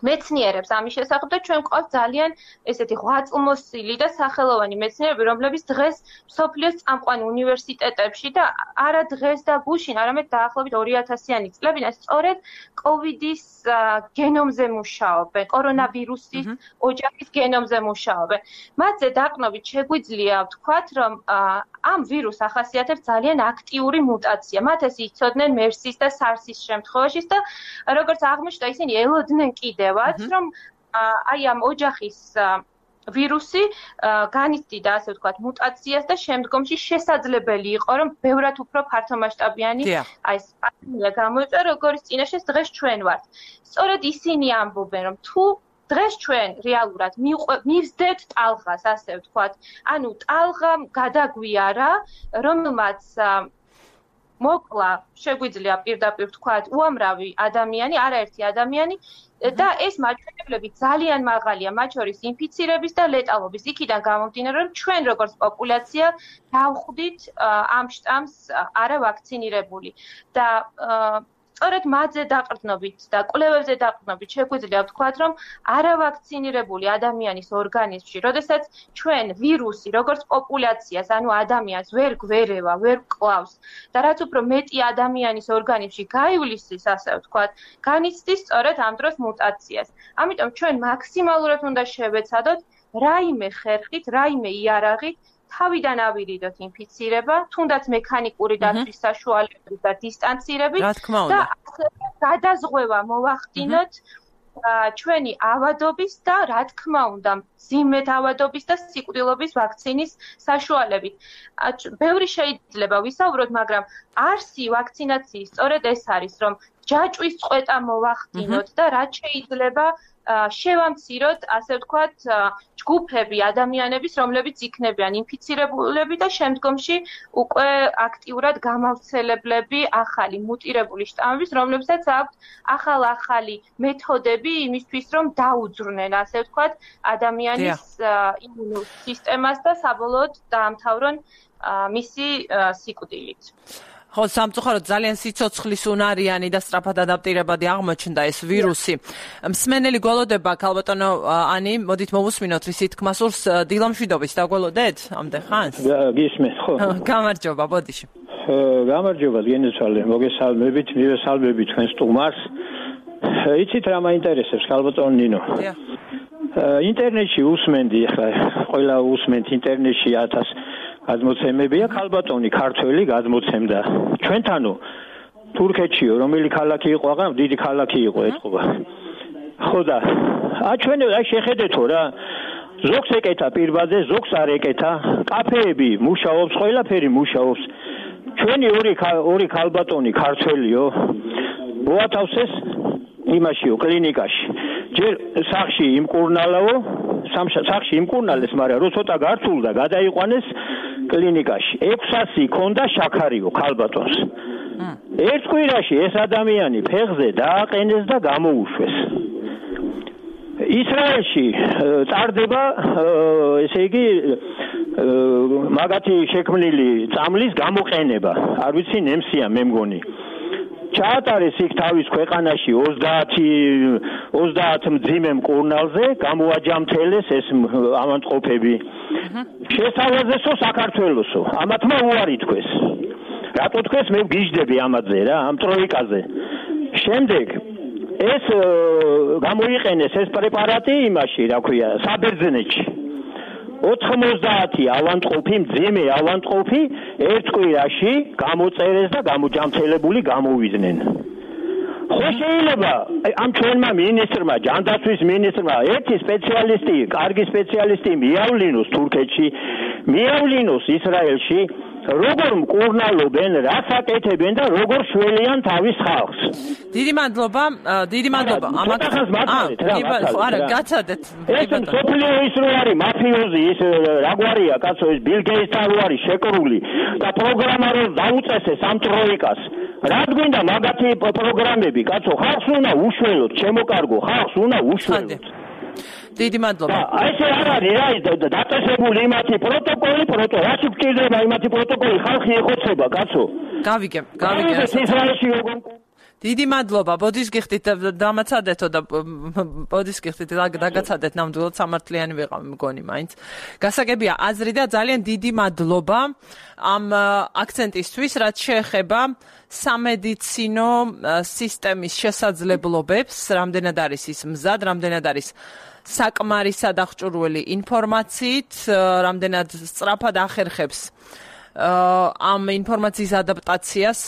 მეცნიერებს ამის შესახებ და ჩვენ გვყავს ძალიან ესეთი ღვაწლმოსილი და სახელოვანი მეცნიერები, რომლებიც დღეს მსოფლიოს წამყვან უნივერსიტეტებში და არა დღეს და გუშინ, არამედ დაახლოებით 2000-იანი წლებიდან სწორედ COVID-ის გენომზე მუშაობენ, კორონავირუსის ოჯახის გენომზე მუშაობენ. მათზე დაყრდნობით შეგვიძლია ვთქვათ, რომ ამ ვირუსს ახასიათებს ძალიან აქტიური მუტაცია. მათ ეს იცოდნენ MERS-ის და SARS-ის შემთხვევაშიც და როგორც აღმოჩნდა, ისინი ელოდნენ კიდევაც, რომ აი ამ ოჯახის ვირუსი განიცდიდა, ასე ვთქვათ, მუტაციას და შემდგომში შესაძლებელი იყო, რომ ბევრად უფრო ფართომასშტაბიანი აი ეს პანდემია გამოიწვია, როგორც წინაშე დღეს ჩვენ ვართ. სწორედ ისინი ამბობენ, რომ თუ დღეს ჩვენ რეალურად მივსდეთ ტალღას, ასე ვთქვათ, ანუ ტალღა გადაგვიარა, რომელმაც მოკლა, შეგვიძლია პირდაპირ ვთქვათ, უამრავი ადამიანი, არაერთი ადამიანი და ეს მაჩვენებლები ძალიან მაღალია, მათ შორის ინფიცირების და ლეტალობის. იქიდან გამომდინარე, რომ ჩვენ როგორც პოპულაცია დავხვდით ამ შტამს არავაქცინირებული და სწორედ მათზე დაყრდნობით და კვლევებზე დაყრდნობით შეგვიძლია ვთქვათ, რომ არავაქცინირებული ადამიანის ორგანიზმში, როდესაც ჩვენ ვირუსი, როგორც პოპულაციას, ანუ ადამიანს ვერ გვერევა, ვერ კლავს და რაც უფრო მეტი ადამიანის ორგანიზმში გაივლისის, ასე ვთქვათ, განიცდის სწორედ ამ დროს მუტაციას. ამიტომ ჩვენ მაქსიმალურად უნდა შევეცადოთ რაიმე ხერხით, რაიმე იარაღით თავიდან ავირიდოთ ინფიცირება, თუნდაც მექანიკური დაცვის საშუალებებით და დისტანცირებით და გადაზღვევა მოვახდინოთ ჩვენი ავადობის და რა თქმა უნდა მძიმედ ავადობის და სიკვდილობის ვაქცინის საშუალებით. ბევრი შეიძლება ვისაუბროთ, მაგრამ არსი ვაქცინაციის სწორედ ეს არის, რომ ჯაჭვის წყვეტა მოვახდინოთ და რაც შეიძლება შევამციროთ, ასე ვთქვათ, ჯგუფები ადამიანების, რომლებიც იქნებიან ინფიცირებულები და შემდგომში უკვე აქტიურად გამავრცელებლები ახალი მუტირებული შტამების, რომლებსაც აქვთ ახალ-ახალი მეთოდები იმისთვის, რომ დაუძვრნენ, ასე ვთქვათ, ადამიანის იმუნურ სისტემას და საბოლოოდ დაამთავრონ მისი სიკვდილით. ხო, სამწუხაროდ ძალიან სიცოცხლის უნარიანი და სწრაფად ადაპტირებადი აღმოჩნდა ეს ვირუსი. მსმენელი გველოდება, ქალბატონო ანი, მოდით მოვუსმინოთ რის თქმას სურს დილამშვიდობის, დაგველოდეთ ამდენ ხანს? გისმენთ, ხო. გამარჯობა, ბოდიში. გამარჯობა, გენეცვალე, მოგესალმებით, მივესალმებით თქვენ სტუმარს. იცით რა მაინტერესებს, ქალბატონო ნინო? ინტერნეტში უსმენდი, ახლა ყველა უსმენთ ინტერნეტში 1000 გადმოცემებია, ქალბატონი ქართველი გადმოცემდა. ჩვენთანო თურქეთშიო, რომელი ქალაქი იყო, აღარ დიდი ქალაქი იყო ეთყობა. ხო და ჩვენ შეხედეთო რა, ზოგს ეკეთა პირბადე, ზოგს არ ეკეთა, კაფეები მუშაობს, ყველაფერი მუშაობს. ჩვენი ორი ქალბატონი ქართველიო, მოათავსეს იმაშიო კლინიკაში. ჯერ სახში იმკურნალაო, სახში იმკურნალეს, მაგრამ რო ცოტა გართულდა, გადაიყვანეს კლინიკაში. 600 ქონდა შაქარიო ქალბატონს. ერთ კვირაში ეს ადამიანი ფეხზე დააყენეს და გამოუშვეს. ისრაელში წარდება, ესე იგი, მაგათი შექმნილი წამლის გამოყენება. არ ვიცი ნემსია მე მგონი. ჩაატარეს იქ თავის ქვეყანაში 30 მძიმე მკურნალზე, გამოაჯამთელეს ეს ავადმყოფები. შესთავაზესო საქართველოსო, ამათმა უარი თქვეს. რატო თქვეს, მე ვგიჟდები ამაზე რა, ამ ტროიკაზე. შემდეგ ეს გამოიყენეს ეს პრეპარატი იმაში, რა ქვია, საბერძნეთში. 90 ავადმყოფი, მძიმე ავადმყოფი ერთ კვირაში გამოწერეს და გამოჯამთელებული გამოვიდნენ. ხო შეიძლება ამ ჩვენმა მინისტრმა, ჯანდაცვის მინისტრმა ერთი სპეციალისტი, კარგი სპეციალისტი მიავლინოს თურქეთში, მიავლინოს ისრაელში, როგორ მკურნალობენ, რას აკეთებენ და როგორ შველიან თავის ხალხს. დიდი მადლობა. არა, გაცადეთ. ეს მსოფლიო ის რო არის მაფიოზი, ის რაგვარია, კაცო, ეს ბილ გეიტსთან რო არის შეკრული და პროგრამა რო დაუწესეს ამ ტროიკას. რად გვინდა მაგათი პროგრამები, კაცო, ხალხს უნდა უშველოთ, შემოკარგო, ხალხს უნდა უშველოთ. დიდი მადლობა. ესე არ არის რა, დაწესებული იმათი პროტოკოლი, რაში გვჭირდება იმათი პროტოკოლი, ხალხი ეხოცება, კაცო. გავიგე. ისრაელში როგორ დიდი მადლობა. ბოდის გიხდით დამაცადეთო და ბოდის გიხდით დაგაცადეთ ნამდვილად სამართლიანი ვიყავ მგონი მაინც. გასაგებია აზრი და ძალიან დიდი მადლობა ამ აქცენტისთვის, რაც შეეხება სამედიცინო სისტემის შესაძლებლობებს, რამდენად არის ის მზად, რამდენად არის საკმარისად აღჭურვილი ინფორმაციით, რამდენად სწრაფად ახერხებს ამ ინფორმაციის ადაპტაციას,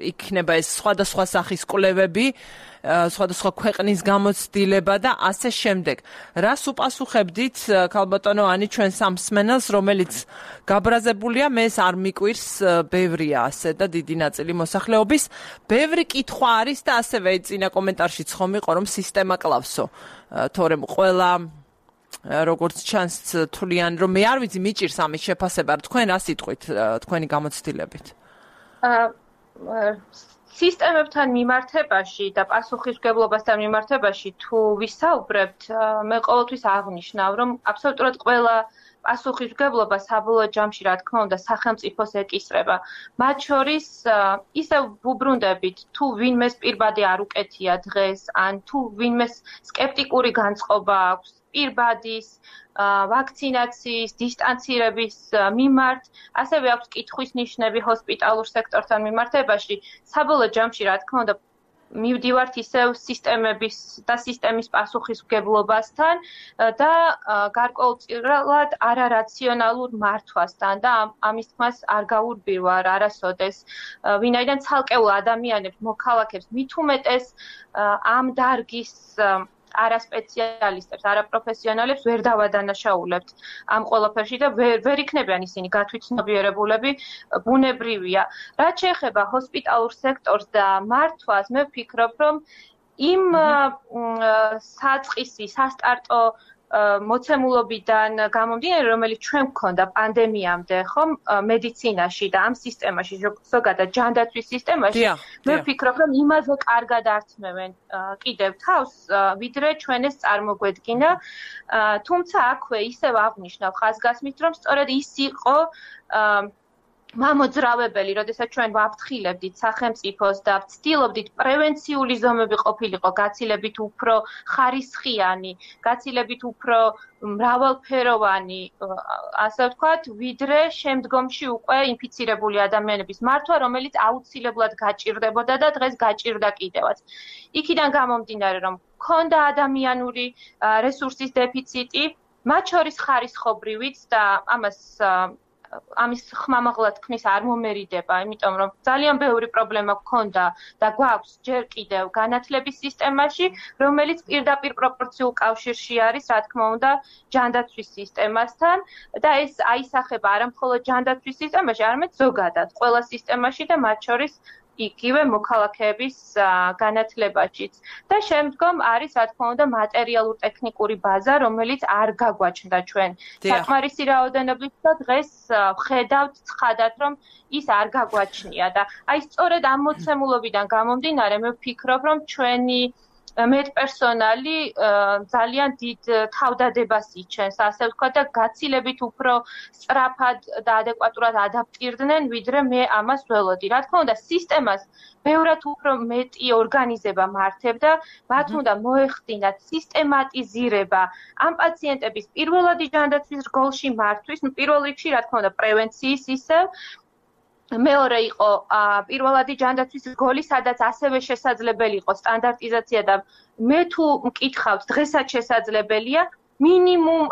იქნება ეს სხვადასხვა სახის კვლევები, სხვადასხვა ქვეყნის გამოცდილება და ასე შემდეგ. რას უპასუხებდით, ქალბატონო ანი, ჩვენ სამსმენელს, რომელიც გაბრაზებულია, მე ეს არ მიკვირს, ბევრია ასე და დიდი ნაწილი მოსახლეობის. ბევრი კითხვა არის და ასევე წინა კომენტარშიც ხომ იყო, რომ სისტემა კლავსო. თორემ ყველა როგორც ჩანს თვლიან, რომ მე არ ვიცი მიჭირს ამის შეფასება, თქვენ რა სიტყვით, თქვენი გამოცდილებით? სისტემებთან მიმართებაში და პასუხისმგებლობასთან მიმართებაში თუ ვისაუბრებთ, მე ყოველთვის აღნიშნავ, რომ აბსოლუტურად ყველა პასუხისმგებლობა საბოლოო ჯამში, რა თქმა უნდა, სახელმწიფოს ეკისრება. მათ შორის ისევ ვუბრუნდებით, თუ ვინმეს პირბადე არ უკეთია დღეს, ან თუ ვინმეს სკეპტიკური განწყობა აქვს პირბადის, ვაქცინაციის, დისტანცირების მიმართ, ასევე აქვს კითხვის ნიშნები ჰოსპიტალურ სექტორთან მიმართებაში. საბოლოო ჯამში, რა თქმა უნდა, მივდივართ ისევ სისტემების და სისტემის პასუხისმგებლობასთან და გარკვეულწილად არარაციონალურ მართვასთან და ამის თქმას არ გაურბივარ არასოდეს, ვინაიდან ცალკეულ ადამიანებს, მოქალაქებს მით უმეტეს ამ დარგის არასპეციალისტებს, არაპროფესიონალებს ვერ დავადანაშაულებთ ამ ყველაფერში და ვერ იქნებიან ისინი გათვითცნობიერებულები, ბუნებრივია. რაც შეეხება ჰოსპიტალურ სექტორს და მართვას, მე ვფიქრობ, რომ იმ საწყისი, სასტარტო მოცემულობიდან გამომდინარე, რომელიც ჩვენ გვქონდა პანდემიამდე, ხომ, მედიცინაში და ამ სისტემაში, ზოგადად ჯანდაცვის სისტემაში, მე ვფიქრობ, რომ იმაზე კარგად ართმევენ კიდევ თავს, ვიდრე ჩვენ ეს წარმოგვედგინა, თუმცა აქვე ისევ აღნიშნავ ხაზგასმით, რომ სწორედ ის იყო მამოძრავებელი, როდესაც ჩვენ ვაფრთხილებდით სახელმწიფოს და ვცდილობდით პრევენციული ზომები ყოფილიყო გაცილებით უფრო ხარისხიანი, გაცილებით უფრო მრავალფეროვანი, ასე ვთქვათ, ვიდრე შემდგომში უკვე ინფიცირებული ადამიანების მართვა, რომელიც აუცილებლად გაჭირდებოდა და დღეს გაჭირდა კიდევაც. იქიდან გამომდინარე, რომ ჰქონდა ადამიანური რესურსის დეფიციტი, მათ შორის ხარისხობრივიც და ამის ხმამაღლა თქმის არ მომერიდება, იმიტომ რომ ძალიან ბევრი პრობლემა გქონდა და გვაქვს ჯერ კიდევ განათლების სისტემაში, რომელიც პირდაპირ პროპორციულ კავშირში არის, რა თქმა უნდა, ჯანდაცვის სისტემასთან და ეს აისახება არა მხოლოდ ჯანდაცვის სისტემაში, არამედ ზოგადად ყველა სისტემაში და მათ შორის იგივე მოქალაქეების განათლებაშიც. და შემდგომ არის, რა თქმა უნდა, მატერიალურ-ტექნიკური ბაზა, რომელიც არ გაგვაჩნდა ჩვენ საკმარისი რაოდენობით და დღეს ვხედავთ ცხადად, რომ ის არ გაგვაჩნია და აი სწორედ ამ მოცემულობიდან გამომდინარე, მე ვფიქრობ, რომ ჩვენი მედპერსონალი ძალიან დიდ თავდადებას იჩენს, ასე ვთქვათ და გაცილებით უფრო სწრაფად და ადეკვატურად ადაპტირდნენ, ვიდრე მე ამას ველოდი. რა თქმა უნდა, სისტემას ბევრად უფრო მეტი ორგანიზება მართებდა, მათ უნდა მოეხდინათ სისტემატიზირება ამ პაციენტების პირველადი ჯანდაცვის რგოლში მართვის, პირველ რიგში, რა თქმა უნდა, პრევენციის ისევ მეორე იყო პირველადი ჯანდაცვის რგოლი, სადაც ასევე შესაძლებელი იყო სტანდარტიზაცია და მე თუ მკითხავთ, დღესაც შესაძლებელია მინიმუმ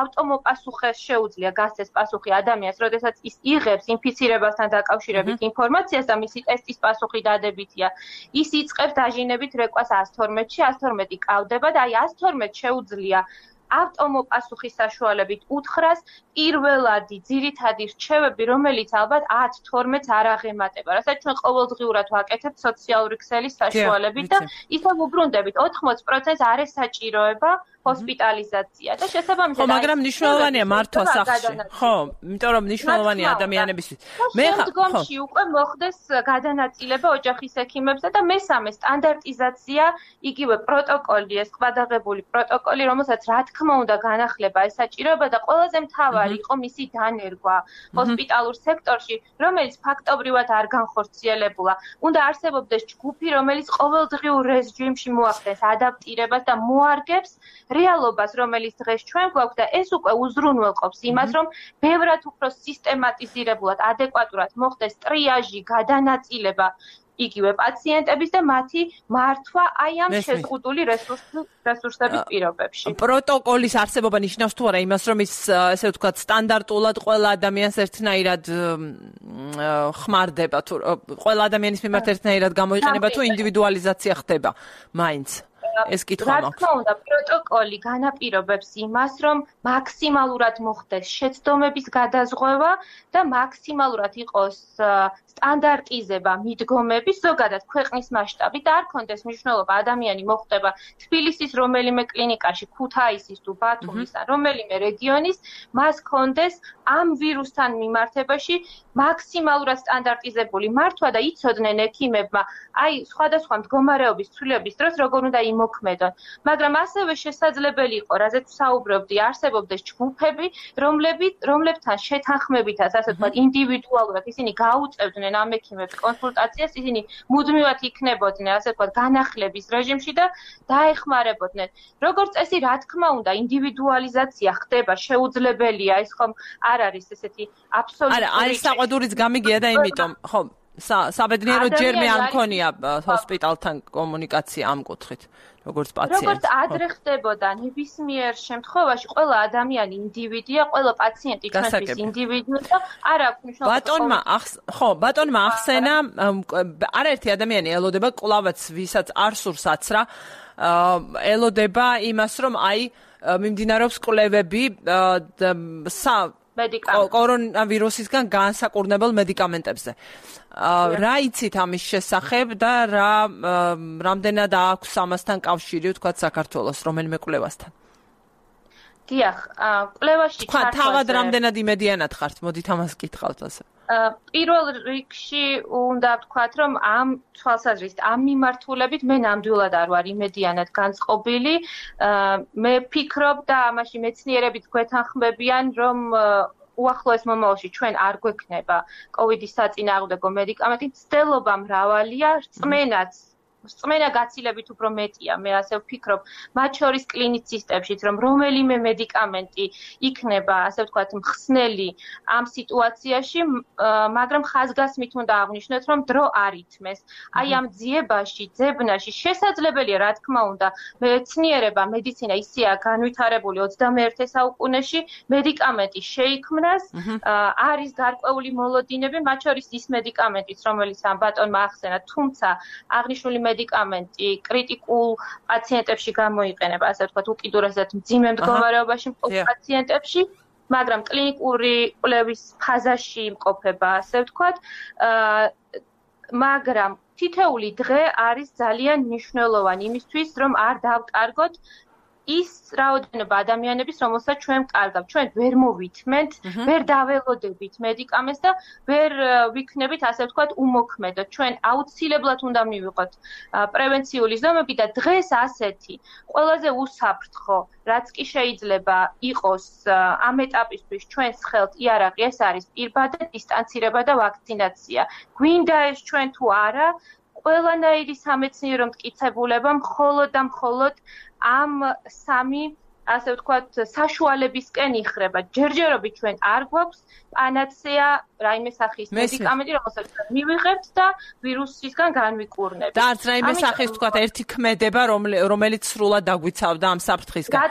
ავტომოპასუხეს შეუძლია გასცეს პასუხი ადამიანს, როდესაც ის იღებს ინფიცირებასთან დაკავშირებით ინფორმაციას და მისი ტესტის პასუხი დადებითია. ის იწყებს დაჟინებით რეკვას 112-ში, 112 კავდება და აი 112 შეუძლია ავტომოპასუხის საშუალებით უთხრას პირველადი ძირითადი რჩევები, რომელიც ალბათ 10-12-ს არ აღემატება, რასაც ჩვენ ყოველდღიურად ვაკეთებთ სოციალური ქსელის საშუალებით და ისევ უბრუნდებით 80%-ს არ ესაჭიროება ჰოსპიტალიზაცია და შესაბამისად მაგრამ მნიშვნელოვანია მართვა სახლში. ხო, იმიტომ რომ მნიშვნელოვანია ადამიანებისთვის. მე შემდგომში უკვე მოხდეს გადანაწილება ოჯახის ექიმებსა და მესამე სტანდარტიზაცია, იგივე პროტოკოლი, ეს ყვადაღებული პროტოკოლი, რომელსაც რა თქმა უნდა განახლება ესაჭიროება და ყველაზე მთავარი იყო მისი დანერგვა ჰოსპიტალურ სექტორში, რომელიც ფაქტობრივად არ განხორციელებულა. უნდა არსებობდეს ჯგუფი, რომელიც ყოველდღიურ რეჟიმში მოახდენს ადაპტირებას და მოარგებს რეალობას, რომელიც დღეს ჩვენ გვაქვს და ეს უკვე უზრუნველყოფს იმას, რომ ბევრად უფრო სისტემატიზირებულად, ადეკვატურად მოხდეს ტრიაჟი, გადანაწილება იგივე პაციენტების და მათი მართვა აი ამ შეზღუდული რესურსების პირობებში. პროტოკოლის არსებობა ნიშნავს თუ არა იმას, რომ ის ესე ვთქვათ სტანდარტულად ყველა ადამიანს ერთნაირად ხმარდება თუ ყველა ადამიანის მიმართ ერთნაირად გამოიყენება თუ ინდივიდუალიზაცია ხდება მაინც. ეს კითხვა მაქვს. რა თქმა უნდა, პროტოკოლი განაპირობებს იმას, რომ მაქსიმალურად მოხდეს შეცდომების გადაზღვევა და მაქსიმალურად იყოს სტანდარტიზება მიდგომების ზოგადად ქვეყნის მასშტაბით და არ კონდეს მნიშვნელობა ადამიანი მოხვდება თბილისის რომელიმე კლინიკაში, ქუთაისის თუ ბათუმის ან რომელიმე რეგიონის, მას კონდეს ამ ვირუსთან მიმართებაში მაქსიმალურად სტანდარტიზებული მართვა და იცოდნენ ექიმებმა, აი სხვადასხვა მდგომარეობის ცვლილების დროს როგორ უნდა იმოქმედონ. მაგრამ ასევე შესაძლებელი იყო, რაზეც საუბრობდი, არსებობდეს ჯგუფები, რომლებთან შეთანხმებითაც, ასე ვთქვათ, ინდივიდუალურად ისინი გაუწევდნენ ამ ექიმებს კონსულტაციას, ისინი მუდმივად იქნებოდნენ, ასე ვთქვათ, განახლების რეჟიმში და დაეხმარებოდნენ. როგორც წესი, რა თქმა უნდა, ინდივიდუალიზაცია ხდება, შეუძლებელია, ეს ხომ არ არის ესეთი აბსოლუტური. არა, აი საყვედურიც გამიგია და იმიტომ, ხო, საბედნიერო ჯერ მე არ მქონია ჰოსპიტალთან კომუნიკაცია ამ კუთხით, როგორც პაციენტი. როგორც ადრე ხდებოდა ნებისმიერ შემთხვევაში, ყველა ადამიანი ინდივიდია, ყველა პაციენტი ჩვენთვის ინდივიდია და არ აქვს მნიშვნელობა. ბატონმა ახსენა, არაერთი ადამიანი ელოდება კლავაც ვისაც არ სურს აცრა, ელოდება იმას, რომ მიმდინარეობს კვლევები კორონავირუსისგან განსაკურნებელ მედიკამენტებზე. რა იცით ამის შესახებ და რამდენად აქვს ამასთან კავშირი, ვთქვათ, საქართველოს რომელიმე კვლევასთან? დიახ, კვლევაში ჩართვაზე თავად რამდენად იმედიანად ხართ? მოდით ამას კითხავთ ასე. პირველ რიგში უნდა ვთქვათ, რომ ამ თვალსაზრისით, ამ მიმართულებით მე ნამდვილად არ ვარ იმედიანად განწყობილი. მე ვფიქრობ და ამაში მეცნიერებიც გვეთანხმებიან, რომ უახლოეს მომავალში ჩვენ არ გვექნება კოვიდის საწინააღმდეგო მედიკამენტი, მცდელობა მრავალია, რწმენა გაცილებით უფრო მეტია, მე ასე ვფიქრობ, მათ შორის კლინიცისტებშიც, რომ რომელიმე მედიკამენტი იქნება, ასე ვთქვათ, მხსნელი ამ სიტუაციაში, მაგრამ ხაზგასმით უნდა აღვნიშნოთ, რომ დრო არ ითმეს. აი ამ ძიებაში, ძებნაში შესაძლებელია, რა თქმა უნდა, მეცნიერება, მედიცინა ისეა განვითარებული 21 საუკუნეში, მედიკამენტი შეიქმნას, არის გარკვეული მოლოდინები, მათ შორის ის მედიკამენტიც, რომელიც ამ ბატონმა ახსენა, თუმცა აღნიშნული მედიკამენტი კრიტიკულ პაციენტებში გამოიყენება, ასე ვთქვათ, უკიდურესად მძიმე მდგომარეობაში მყოფ პაციენტებში, მაგრამ კლინიკური კვლევის ფაზაში იმყოფება, ასე ვთქვათ, მაგრამ თითოეული დღე არის ძალიან მნიშვნელოვანი იმისთვის, რომ არ დავკარგოთ ის რაოდენობა ადამიანების, რომელსაც ჩვენ კარგავთ. ჩვენ ვერ მოვითმენთ, ვერ დაველოდებით მედიკამენტს და ვერ ვიქნებით, ასე ვთქვათ, უმოქმედო. ჩვენ აუცილებლად უნდა მივიღოთ პრევენციული ზომები და დღეს ასეთი ყველაზე უსაფრთხო, რაც კი შეიძლება იყოს ამ ეტაპისთვის ჩვენს ხელთ იარაღი, ეს არის პირბადა, დისტანცირება და ვაქცინაცია. გვინდა ეს ჩვენ თუ არა, ყველანაირი სამეცნიერო მტკიცებულება მხოლოდ და მხოლოდ ამ სამი, ასე ვთქვათ, საშუალებისკენ იხრება. ჯერჯერობით ჩვენ არ გვაქვს პანაცეა, რაიმე სახის მედიკამენტი, რომელსაც მივიღებთ და ვირუსისგან განვიკურნებით. და არც რაიმე სახის, ვთქვათ, ერთი ქმედება, რომელიც სრულად დაგვიცავდა ამ საფრთხისგან. რა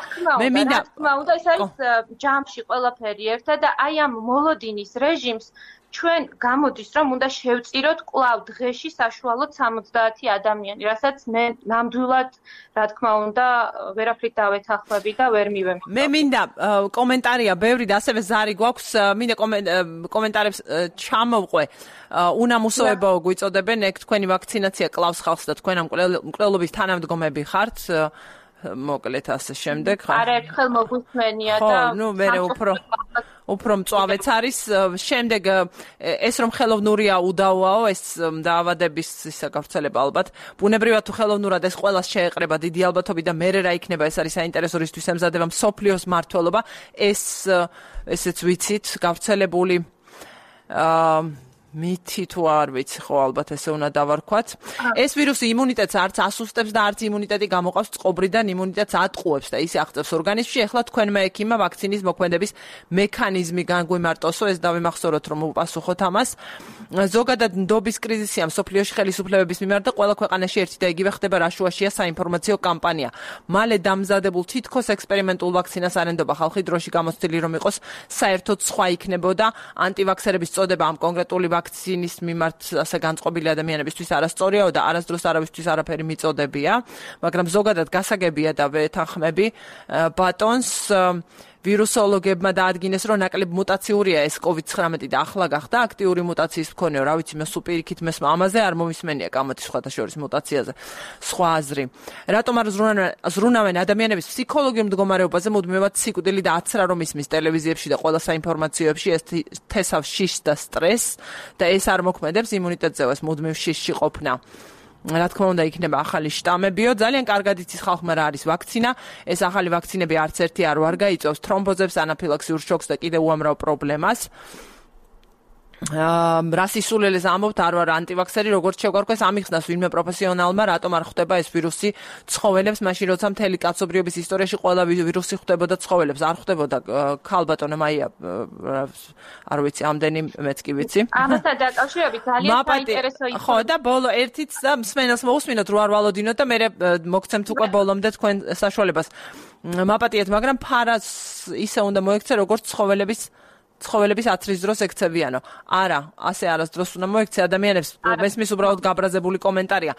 თქმა უნდა, ეს არის ჯამში ყველაფერი ერთად და აი ამ მოლოდინის რეჟიმს ჩვენ გამოდის, რომ უნდა შევწიროთ კვლავ დღეში საშუალოდ 70 ადამიანი, რასაც მე ნამდვილად, რა თქმა უნდა, ვერაფრით დავეთანხმები და ვერ მივემხნევ. მე მინდა კომენტარია ბევრი და ასევე ზარი გვაქვს, მინდა კომენტარებს ჩამოვყვე. უნამუსოებაო გვიწოდებენ, ეგ თქვენი ვაქცინაცია კლავს ხალხს და თქვენ ამ მკვლელობის თანამდგომები ხართ. მოკლედ ასე შემდეგ. არაერთხელ მოგვისმენია და მე უფრო მწვავეც არის. შემდეგ ეს რომ ხელოვნურია უდავოაო, ეს დაავადების ისა გავრცელება ალბათ. ბუნებრივად თუ ხელოვნურად ეს ყველას შეეყრება დიდი ალბათობით და მერე რა იქნება, ეს არის საინტერესო რისთვის ემზადება მსოფლიოს მმართველობა. ესეც ვიცით, გავრცელებული მითი თუ არ ვიცი, ხო ალბათ ესე უნდა დავარქვათ. ეს ვირუსი იმუნიტეტს არც ასუსტებს და არც იმუნიტეტი გამოყავს წყობრიდან, იმუნიტეტს ატყუებს და ისე აღწევს ორგანიზმში. ეხლა თქვენმა ექიმმა ვაქცინის მოქმედების მექანიზმი განგვიმარტოსო, ეს დავიმახსოვროთ, რომ უპასუხოთ ამას. ზოგადად ნდობის კრიზისია მსოფლიოში ხელისუფლებების მიმართ და ყველა ქვეყანაში ერთი და იგივე ხდება, რაშუაშია საინფორმაციო კამპანია. მალე დამზადებულ თითქოს ექსპერიმენტულ ვაქცინას არენდობა ხალხი, დროში გამოცდილი რომ იყოს საერთოდ სხვა იქნებოდა ანტივაქსერების წოდება ამ კონკრეტული ვაქცინის მიმართ ასე განწყობილი ადამიანებისთვის არასწორიაო და არასდროს არავისთვის არაფერი მიწოდებია, მაგრამ ზოგადად გასაგებია და ვეთანხმები ბატონს ვირუსოლოგებმა დაადგინეს, რომ ნაკლებ მუტაციურია ეს COVID-19 და ახლა გახდა აქტიური მუტაციის მქონეო, რა ვიცი, მე სუპირიქით მესმა ამაზე არ მომისმენია გამოდის სხვათა შორის მუტაციაზე. სხვა აზრი. რატომ არ ზრუნავენ ადამიანების ფსიქოლოგიურ მდგომარეობაზე, მუდმივად სიკვდილი და აცრა რომ ისმის ტელევიზიებში და ყველა საინფორმაციოებში, ეს თესავს შიშს და სტრესს და ეს არ მოქმედებს იმუნიტეტზეო, ეს მუდმივ შიშში ყოფნა. რა თქმა უნდა იქნება ახალი შტამებიო, ძალიან კარგად იცის ხალხმა რა არის ვაქცინა. ეს ახალი ვაქცინები არც ერთი არ ვარ გაიწევს თრომბოზებს, ანაფილაქსიურ შოკს და კიდევ უამრავ პრობლემას. რას ისულელეს ამბობთ არ ვარ ანტივაქსერი როგორც შეგვარქვეს ამიხსნას ვინმე პროფესიონალმა რატომ არ ხვდება ეს ვირუსი ცხოველებს მაშინ როცა მთელი კაცობრიობის ისტორიაში ყველა ვირუსი ხვდებოდა ცხოველებს არ ხვდებოდა ქალბატონო მაია არ ვიცი ამდენი მეც კი ვიცი ამასთან დაკავშირებით ძალიან საინტერესო ხო და ბოლო ერთიც და მსმენელს მოусმინოთ რო არ ვალოდინოთ და მე მოგცემთ უკვე ბოლომდე თქვენ საშუალებას მაპატიეთ მაგრამ ფარას ისე უნდა მოექცე როგორც ცხოველების აცრის დროს ექცევიანო. არა, ასე არასდროს უნდა მოექცე ადამიანებს. მესმის უბრალოდ გაბრაზებული კომენტარია.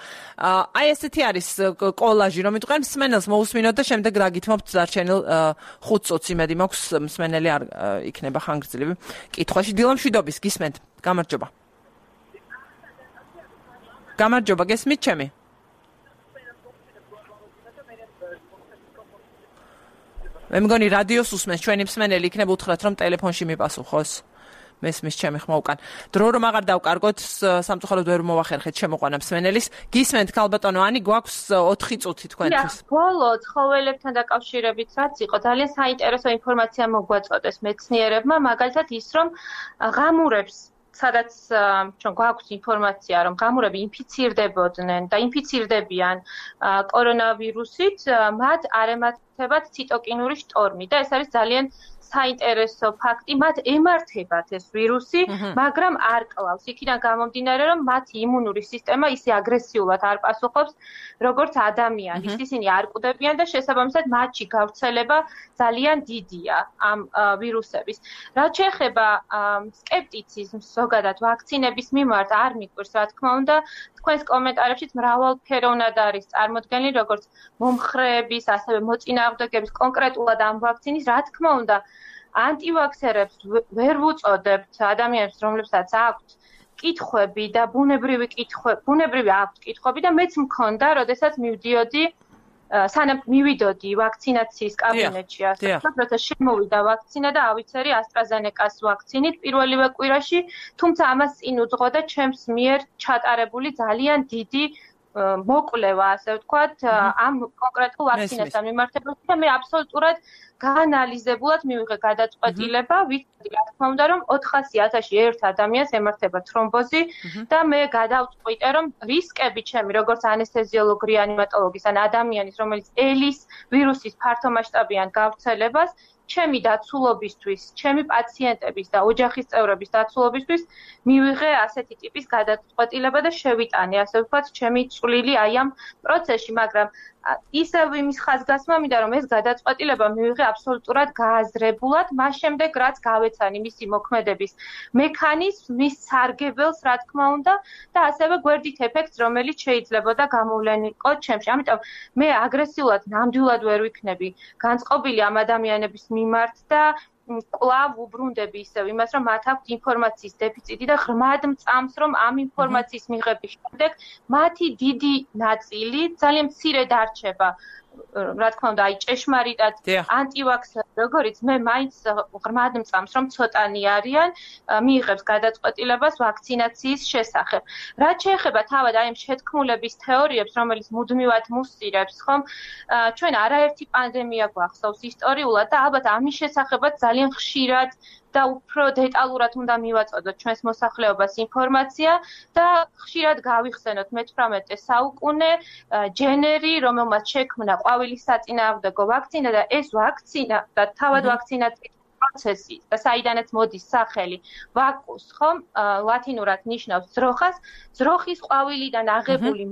აი ესეთი არის კოლაჟი, რომ იტყვიან მსმენელს მოусმინოთ და შემდეგ დაგითმობთ დარჩენილ 5 წუთს იმედი მაქვს მსმენელი არ იქნება ხანგრძლივი. კითხვაში დილამშვიდობის გისმენთ. გამარჯობა. გამარჯობა, გესმით ჩემი? მე მგონი რადიოს უსმენს ჩვენი მსმენელი იქნება უთხრათ რომ ტელეფონში მიპასუხოს მესმის ჩემი ხმა უკან დრო რომ აღარ დავკარგოთ სამწუხაროდ ვერ მოვახერხეთ შემოყვანა მსმენელის გისმენთ ქალბატონო ანი გვაქვს 4 წუთი თქვენთვის ბოლო ცხოველებთან დაკავშირებით რაც იყო ძალიან საინტერესო ინფორმაცია მოგვაწოდეს მეცნიერებმა მაგალითად ის რომ ღამურებს სადაც ჩვენ გვაქვს ინფორმაცია რომ ღამურები ინფიცირდებოდნენ და ინფიცირდებიან კორონავირუსით მათ არ ემართებათ ციტოკინური შტორმი და ეს არის ძალიან საინტერესო ფაქტი მათ ემართებათ ეს ვირუსი მაგრამ არ კლავს იქიდან გამომდინარე რომ მათი იმუნური სისტემა ისე აგრესიულად არ პასუხობს როგორც ადამიანის ისინი არ კვდებიან და შესაბამისად მათში გავრცელება ძალიან დიდია ამ ვირუსების რაც შეეხება სკეპტიციზმს ზოგადად ვაქცინების მიმართ არ მიყვარს რა თქმა უნდა თქვენს კომენტარებშიც მრავალფეროვნად არის წარმოდგენილი როგორც მომხრეების ასევე მოწინააღმდეგეების კონკრეტულად ამ ვაქცინის რა თქმა უნდა ანტივაქსერებს ვერ ვუწოდებთ ადამიანებს რომლებსაც აქვთ კითხვები და ბუნებრივი აქვთ კითხვები და მეც მქონდა როდესაც მივდიოდი სანამ მივიდოდი ვაქცინაციის კაბინეტში ასე როცა შემოვიდა ვაქცინა და ავიცერი AstraZeneca-ს ვაქცინით პირველივე კვირაში თუმცა ამას წინ უძღოდა ჩემს მიერ ჩატარებული ძალიან დიდი მოკვლევა ასე ვთქვათ ამ კონკრეტულ ვაქცინასთან მიმართებაში და მე აბსოლუტურად გაანალიზებულად მივიღე გადაწყვეტილება ვიცოდი რა თქმა უნდა რომ 400,000-ში ერთ ადამიანს ემართება თრომბოზი და მე გადავწყვიტე რომ რისკები ჩემი როგორც ანესთეზიოლოგ რეანიმატოლოგის ან ადამიანის რომელიც ელის ვირუსის ფართომასშტაბიან გავრცელებას ჩემი დაცულობისთვის, ჩემი პაციენტების და ოჯახის წევრების დაცულობისთვის მივიღე ასეთი ტიპის გადაწყვეტილება და შევიტანე, ასე ვთქვათ, ჩემი წვლილი აი ამ პროცესში, მაგრამ ისევ იმის ხაზგასმა მინდა რომ ეს გადაწყვეტილება მივიღე აბსოლუტურად გააზრებულად, მას შემდეგ რაც გავეცანი მისი მოქმედების მექანიზმს, მის სარგებელს, რა თქმა უნდა, და ასევე გვერდით ეფექტს, რომელიც შეიძლებოდა გამოვლენილიყო ჩემში. ამიტომ მე აგრესიულად ნამდვილად ვერ ვიქნები განწყობილი ამ ადამიანების მიმართ და კვლავ უბრუნდები ისევ იმას, რომ მათ აქვთ ინფორმაციის დეფიციტი და ღრმად მწამს, რომ ამ ინფორმაციის მიღების შემდეგ მათი დიდი ნაწილი ძალიან მცირე დარჩება რა თქმა უნდა, აი ჭეშმარიტად ანტივაქსერი, როგორიც მე მაინც ღრმად მწამს, რომ ცოტანი არიან, მიიღებს გადაწყვეტილებას ვაქცინაციის შესახებ. რაც შეეხება თავად აი ამ შეთქმულების თეორიებს, რომელიც მუდმივად მუსწირებს, ხომ? ჩვენ არაერთი პანდემია გვახსოვს ისტორიულად და ალბათ ამის შესახებაც ძალიან ხშირად და უფრო დეტალურად უნდა მივაწოდოთ ჩვენს მოსახლეობას ინფორმაცია და ხშირად გავიხსენოთ მე-18 საუკუნე ჯენერი, რომელმაც შექმნა ყვავილის საწინააღმდეგო ვაქცინა და ეს ვაქცინა და თავად ვაქცინაციის პროცესი და საიდანაც მოდის სახელი ვაკუს, ხომ? ლათინურად ნიშნავს ძროხას, ძროხის ყვავილიდან აღებული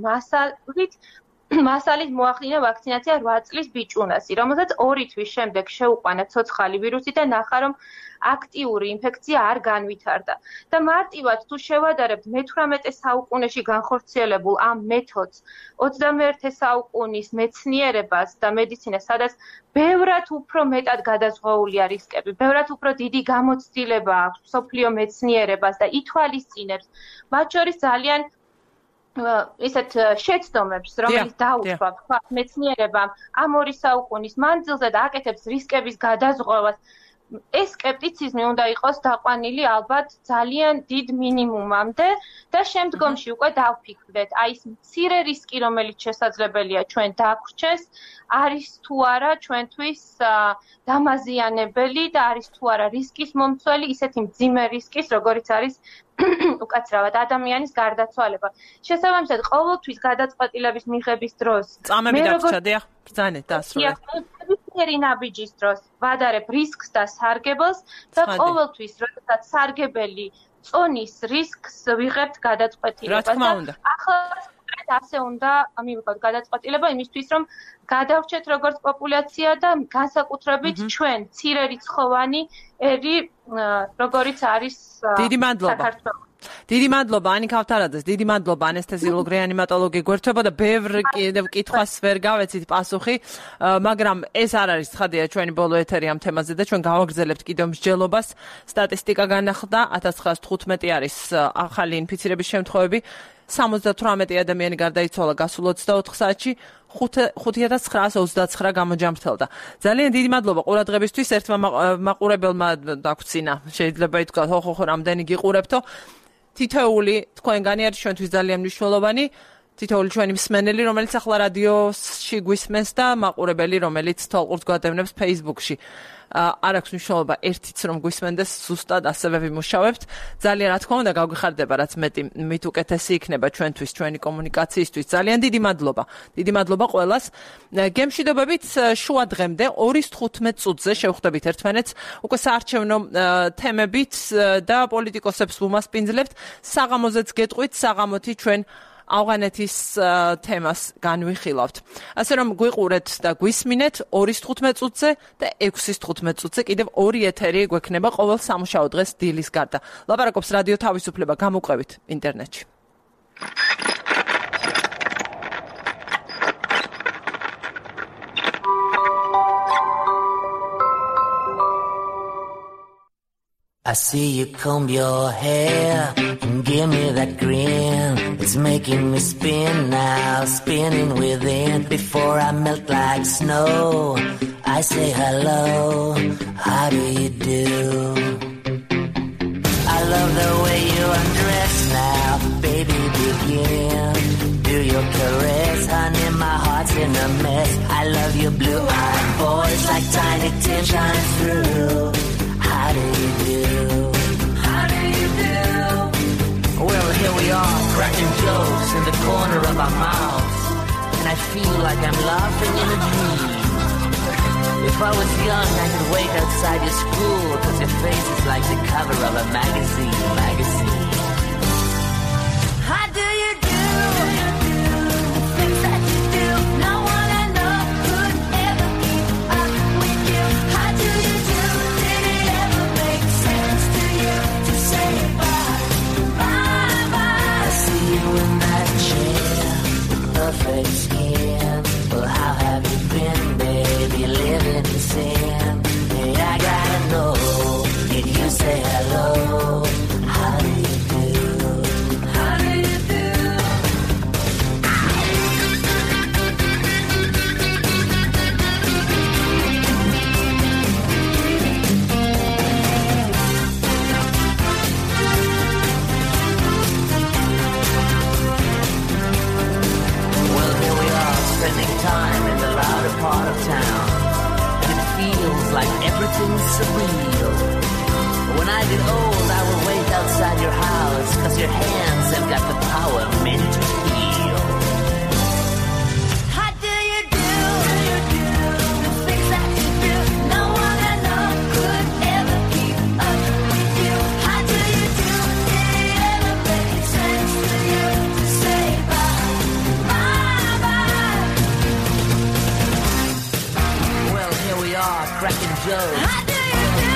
მასალით მოახდინა ვაქცინაცია 8 წლის ბიჭუნასი, რომელსაც 2 თვის შემდეგ შეუყვანა ცოცხალი ვირუსი და ნახა, რომ აქტიური ინფექცია არ განვითარდა. და მარტივად თუ შევადარებთ მე-18 საუკუნეში განხორციელებულ ამ მეთოდს 21 საუკუნის მეცნიერებას და მედიცინას, სადაც ბევრად უფრო მეტად გადაზღვეულია რისკები, ბევრად უფრო დიდი გამოცდილება აქვს მსოფლიო მეცნიერებას და ითვალისწინებს, მათ შორის ძალიან ისეთ შეცდომებს, რომელიც დაუშვა მეცნიერებამ ამ 2 საუკუნის მანძილზე და აკეთებს რისკების გადაზღვევას ეს скеპტიციზმი უნდა იყოს დაყვანილი ალბათ ძალიან დიდ მინიმუმამდე და შემდგომში უკვე დავფიქრდეთ, აი ეს მცირე რისკი, რომელიც შესაძლებელია ჩვენ დაგვრჩეს, არის თუ არა ჩვენთვის დამაზიანებელი და არის თუ არა რისკის მომცველი, ისეთი მძიმე რისკის, როგორიც არის უკაცრავად ადამიანის გარდაცვალება. შესაბამისად, ყოველთვის გადაწყვეტილების მიღების დროს წამები დაგვრჩა, დიახ, ბრძანეთ დასრულეთ. ნაბიჯის დროს ვადარებ რისკს და სარგებელს და ყოველთვის, როდესაც სარგებელი წონის რისკს ვიღებთ გადაწყვეტილებას. რა თქმა უნდა. ახლა ასე უნდა მივიღოთ გადაწყვეტილება იმისთვის, რომ გადავრჩეთ როგორც პოპულაცია და განსაკუთრებით ჩვენ მცირერიცხოვანი ერი, როგორიც არის საქართველოს. დიდი მადლობა ანიკა ავთარაძეს, დიდი მადლობა ანესთეზიოლოგ რეანიმატოლოგი გვერდთვებოდა, ბევრ კითხვას ვერ გავეცით პასუხი, მაგრამ ეს არ არის ცხადია ჩვენი ბოლო ეთერი ამ თემაზე და ჩვენ გავაგრძელებთ კიდევ მსჯელობას. სტატისტიკა განახლდა 1915 არის ახალი ინფიცირების შემთხვევები, 78 ადამიანი გარდაიცვალა გასულ 24 საათში, 5929 გამოჯამრთელდა. ძალიან დიდი მადლობა ყურადღებისთვის. ერთმა მაყურებელმა დაგვცინა, შეიძლება ითქვას, ხო, რამდენი გიყურებთო. თითოეული თქვენგანი არის ჩვენთვის ძალიან მნიშვნელოვანი. თითოეული ჩვენი მსმენელი, რომელიც ახლა რადიოში გვისმენს და მაყურებელი, რომელიც თვალყურს გვადევნებს Facebook-ში. არ აქვს მნიშვნელობა ერთიც რომ გვისმენდეს, ზუსტად ასევე ვიმუშავებთ. ძალიან რა თქმა უნდა გავგიხარდება, რაც მეტი მით უკეთესი იქნება ჩვენთვის, ჩვენი კომუნიკაციისთვის. ძალიან დიდი მადლობა. დიდი მადლობა ყველას. გემშვიდობებით შუა დღემდე 2:15 წუთზე შევხვდებით ერთმანეთს უკვე საარჩევნო თემებით და პოლიტიკოსებს ვუმასპინძლებთ. საღამოზეც გეტყვით, საღამოთი ჩვენ ავღანეთის თემას განვიხილავთ. ასე რომ გვიყურეთ და გვისმინეთ 2:15 წუთზე და 6:15 წუთზე კიდევ ორი ეთერი გვექნება ყოველ სამუშაო დღეს დილის გარდა. ლაპარაკობს რადიო თავისუფლება, გამოყვებით ინტერნეტში. I see you comb your hair and give me that grin. It's making me spin now, spinning within. Before I melt like snow, I say hello, how do you do? I love the way you undress now, baby begin. Do your caress, honey, my heart's in a mess. I love your blue-eyed voice like tiny tears shine through. How do you do? How do you do? Well, here we are, cracking jokes in the corner of our mouths, and I feel like I'm laughing in a dream. If I was young, I could wait outside your school, 'cause your face is like the cover of a magazine. How do you do? The things that you do, no one I know could ever keep up with you. How do you do? Did it ever make sense to you to say bye, bye, bye? I see you in that chair with perfect skin. Well, how have you been, baby, living in sin? Hey, I gotta know, did you say hello? How do you do? How do you do? Well, here we are, spending time in the louder part of town, and it feels like everything's surreal. When I get old, I will wait outside your house, 'cause your hands have got the power meant to heal. How do you do? The things that you do, no one I know could ever keep up with you. How do you do? Did it ever make sense to you to say bye, bye, bye? Well, here we are, cracking jokes. How do you do?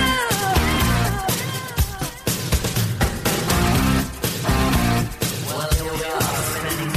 Well, here we are, spending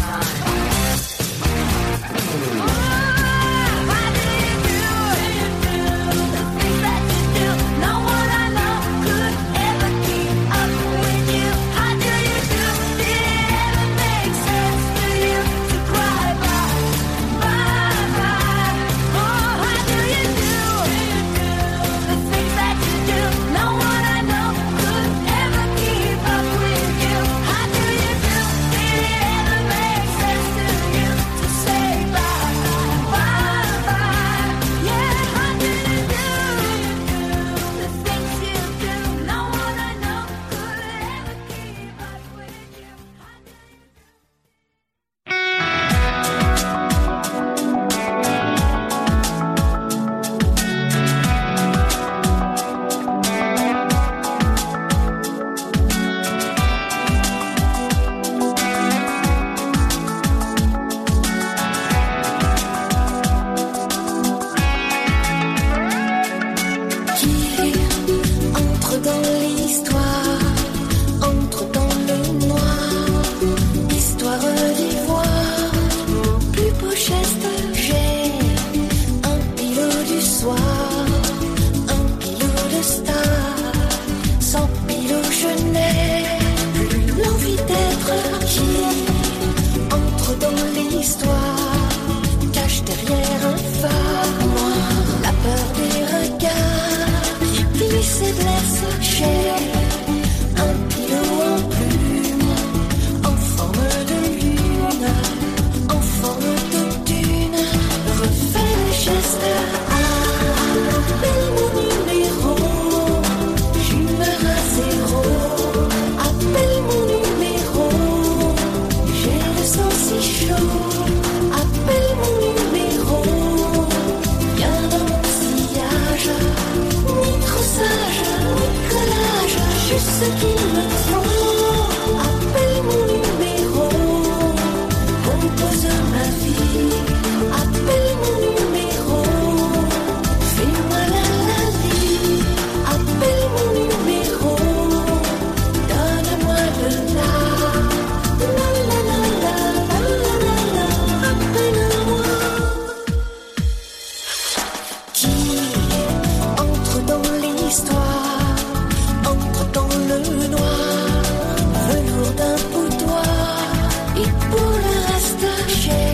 l'histoire cache derrière un phare noir la peur des regards qui glissent et blessent chair. Un pilot en plume, en forme de lune, en forme de dune, refait les gestes. Appelle mon numéro, j'humeur à zéro. Appelle mon numéro, j'ai le sang si chaud. Appelle mon numéro, viens dans mon sillage. Ni trop sage, ni collage, juste ce qu'il me faut. Appelle mon numéro, compose ma vie. Appelle mon numéro, fais-moi la vie. Appelle mon numéro, donne-moi le la. La la la la la la la, appelle-moi. Qui entre dans l'histoire, entre dans le noir, velours d'un boudoir, et pour le reste j'ai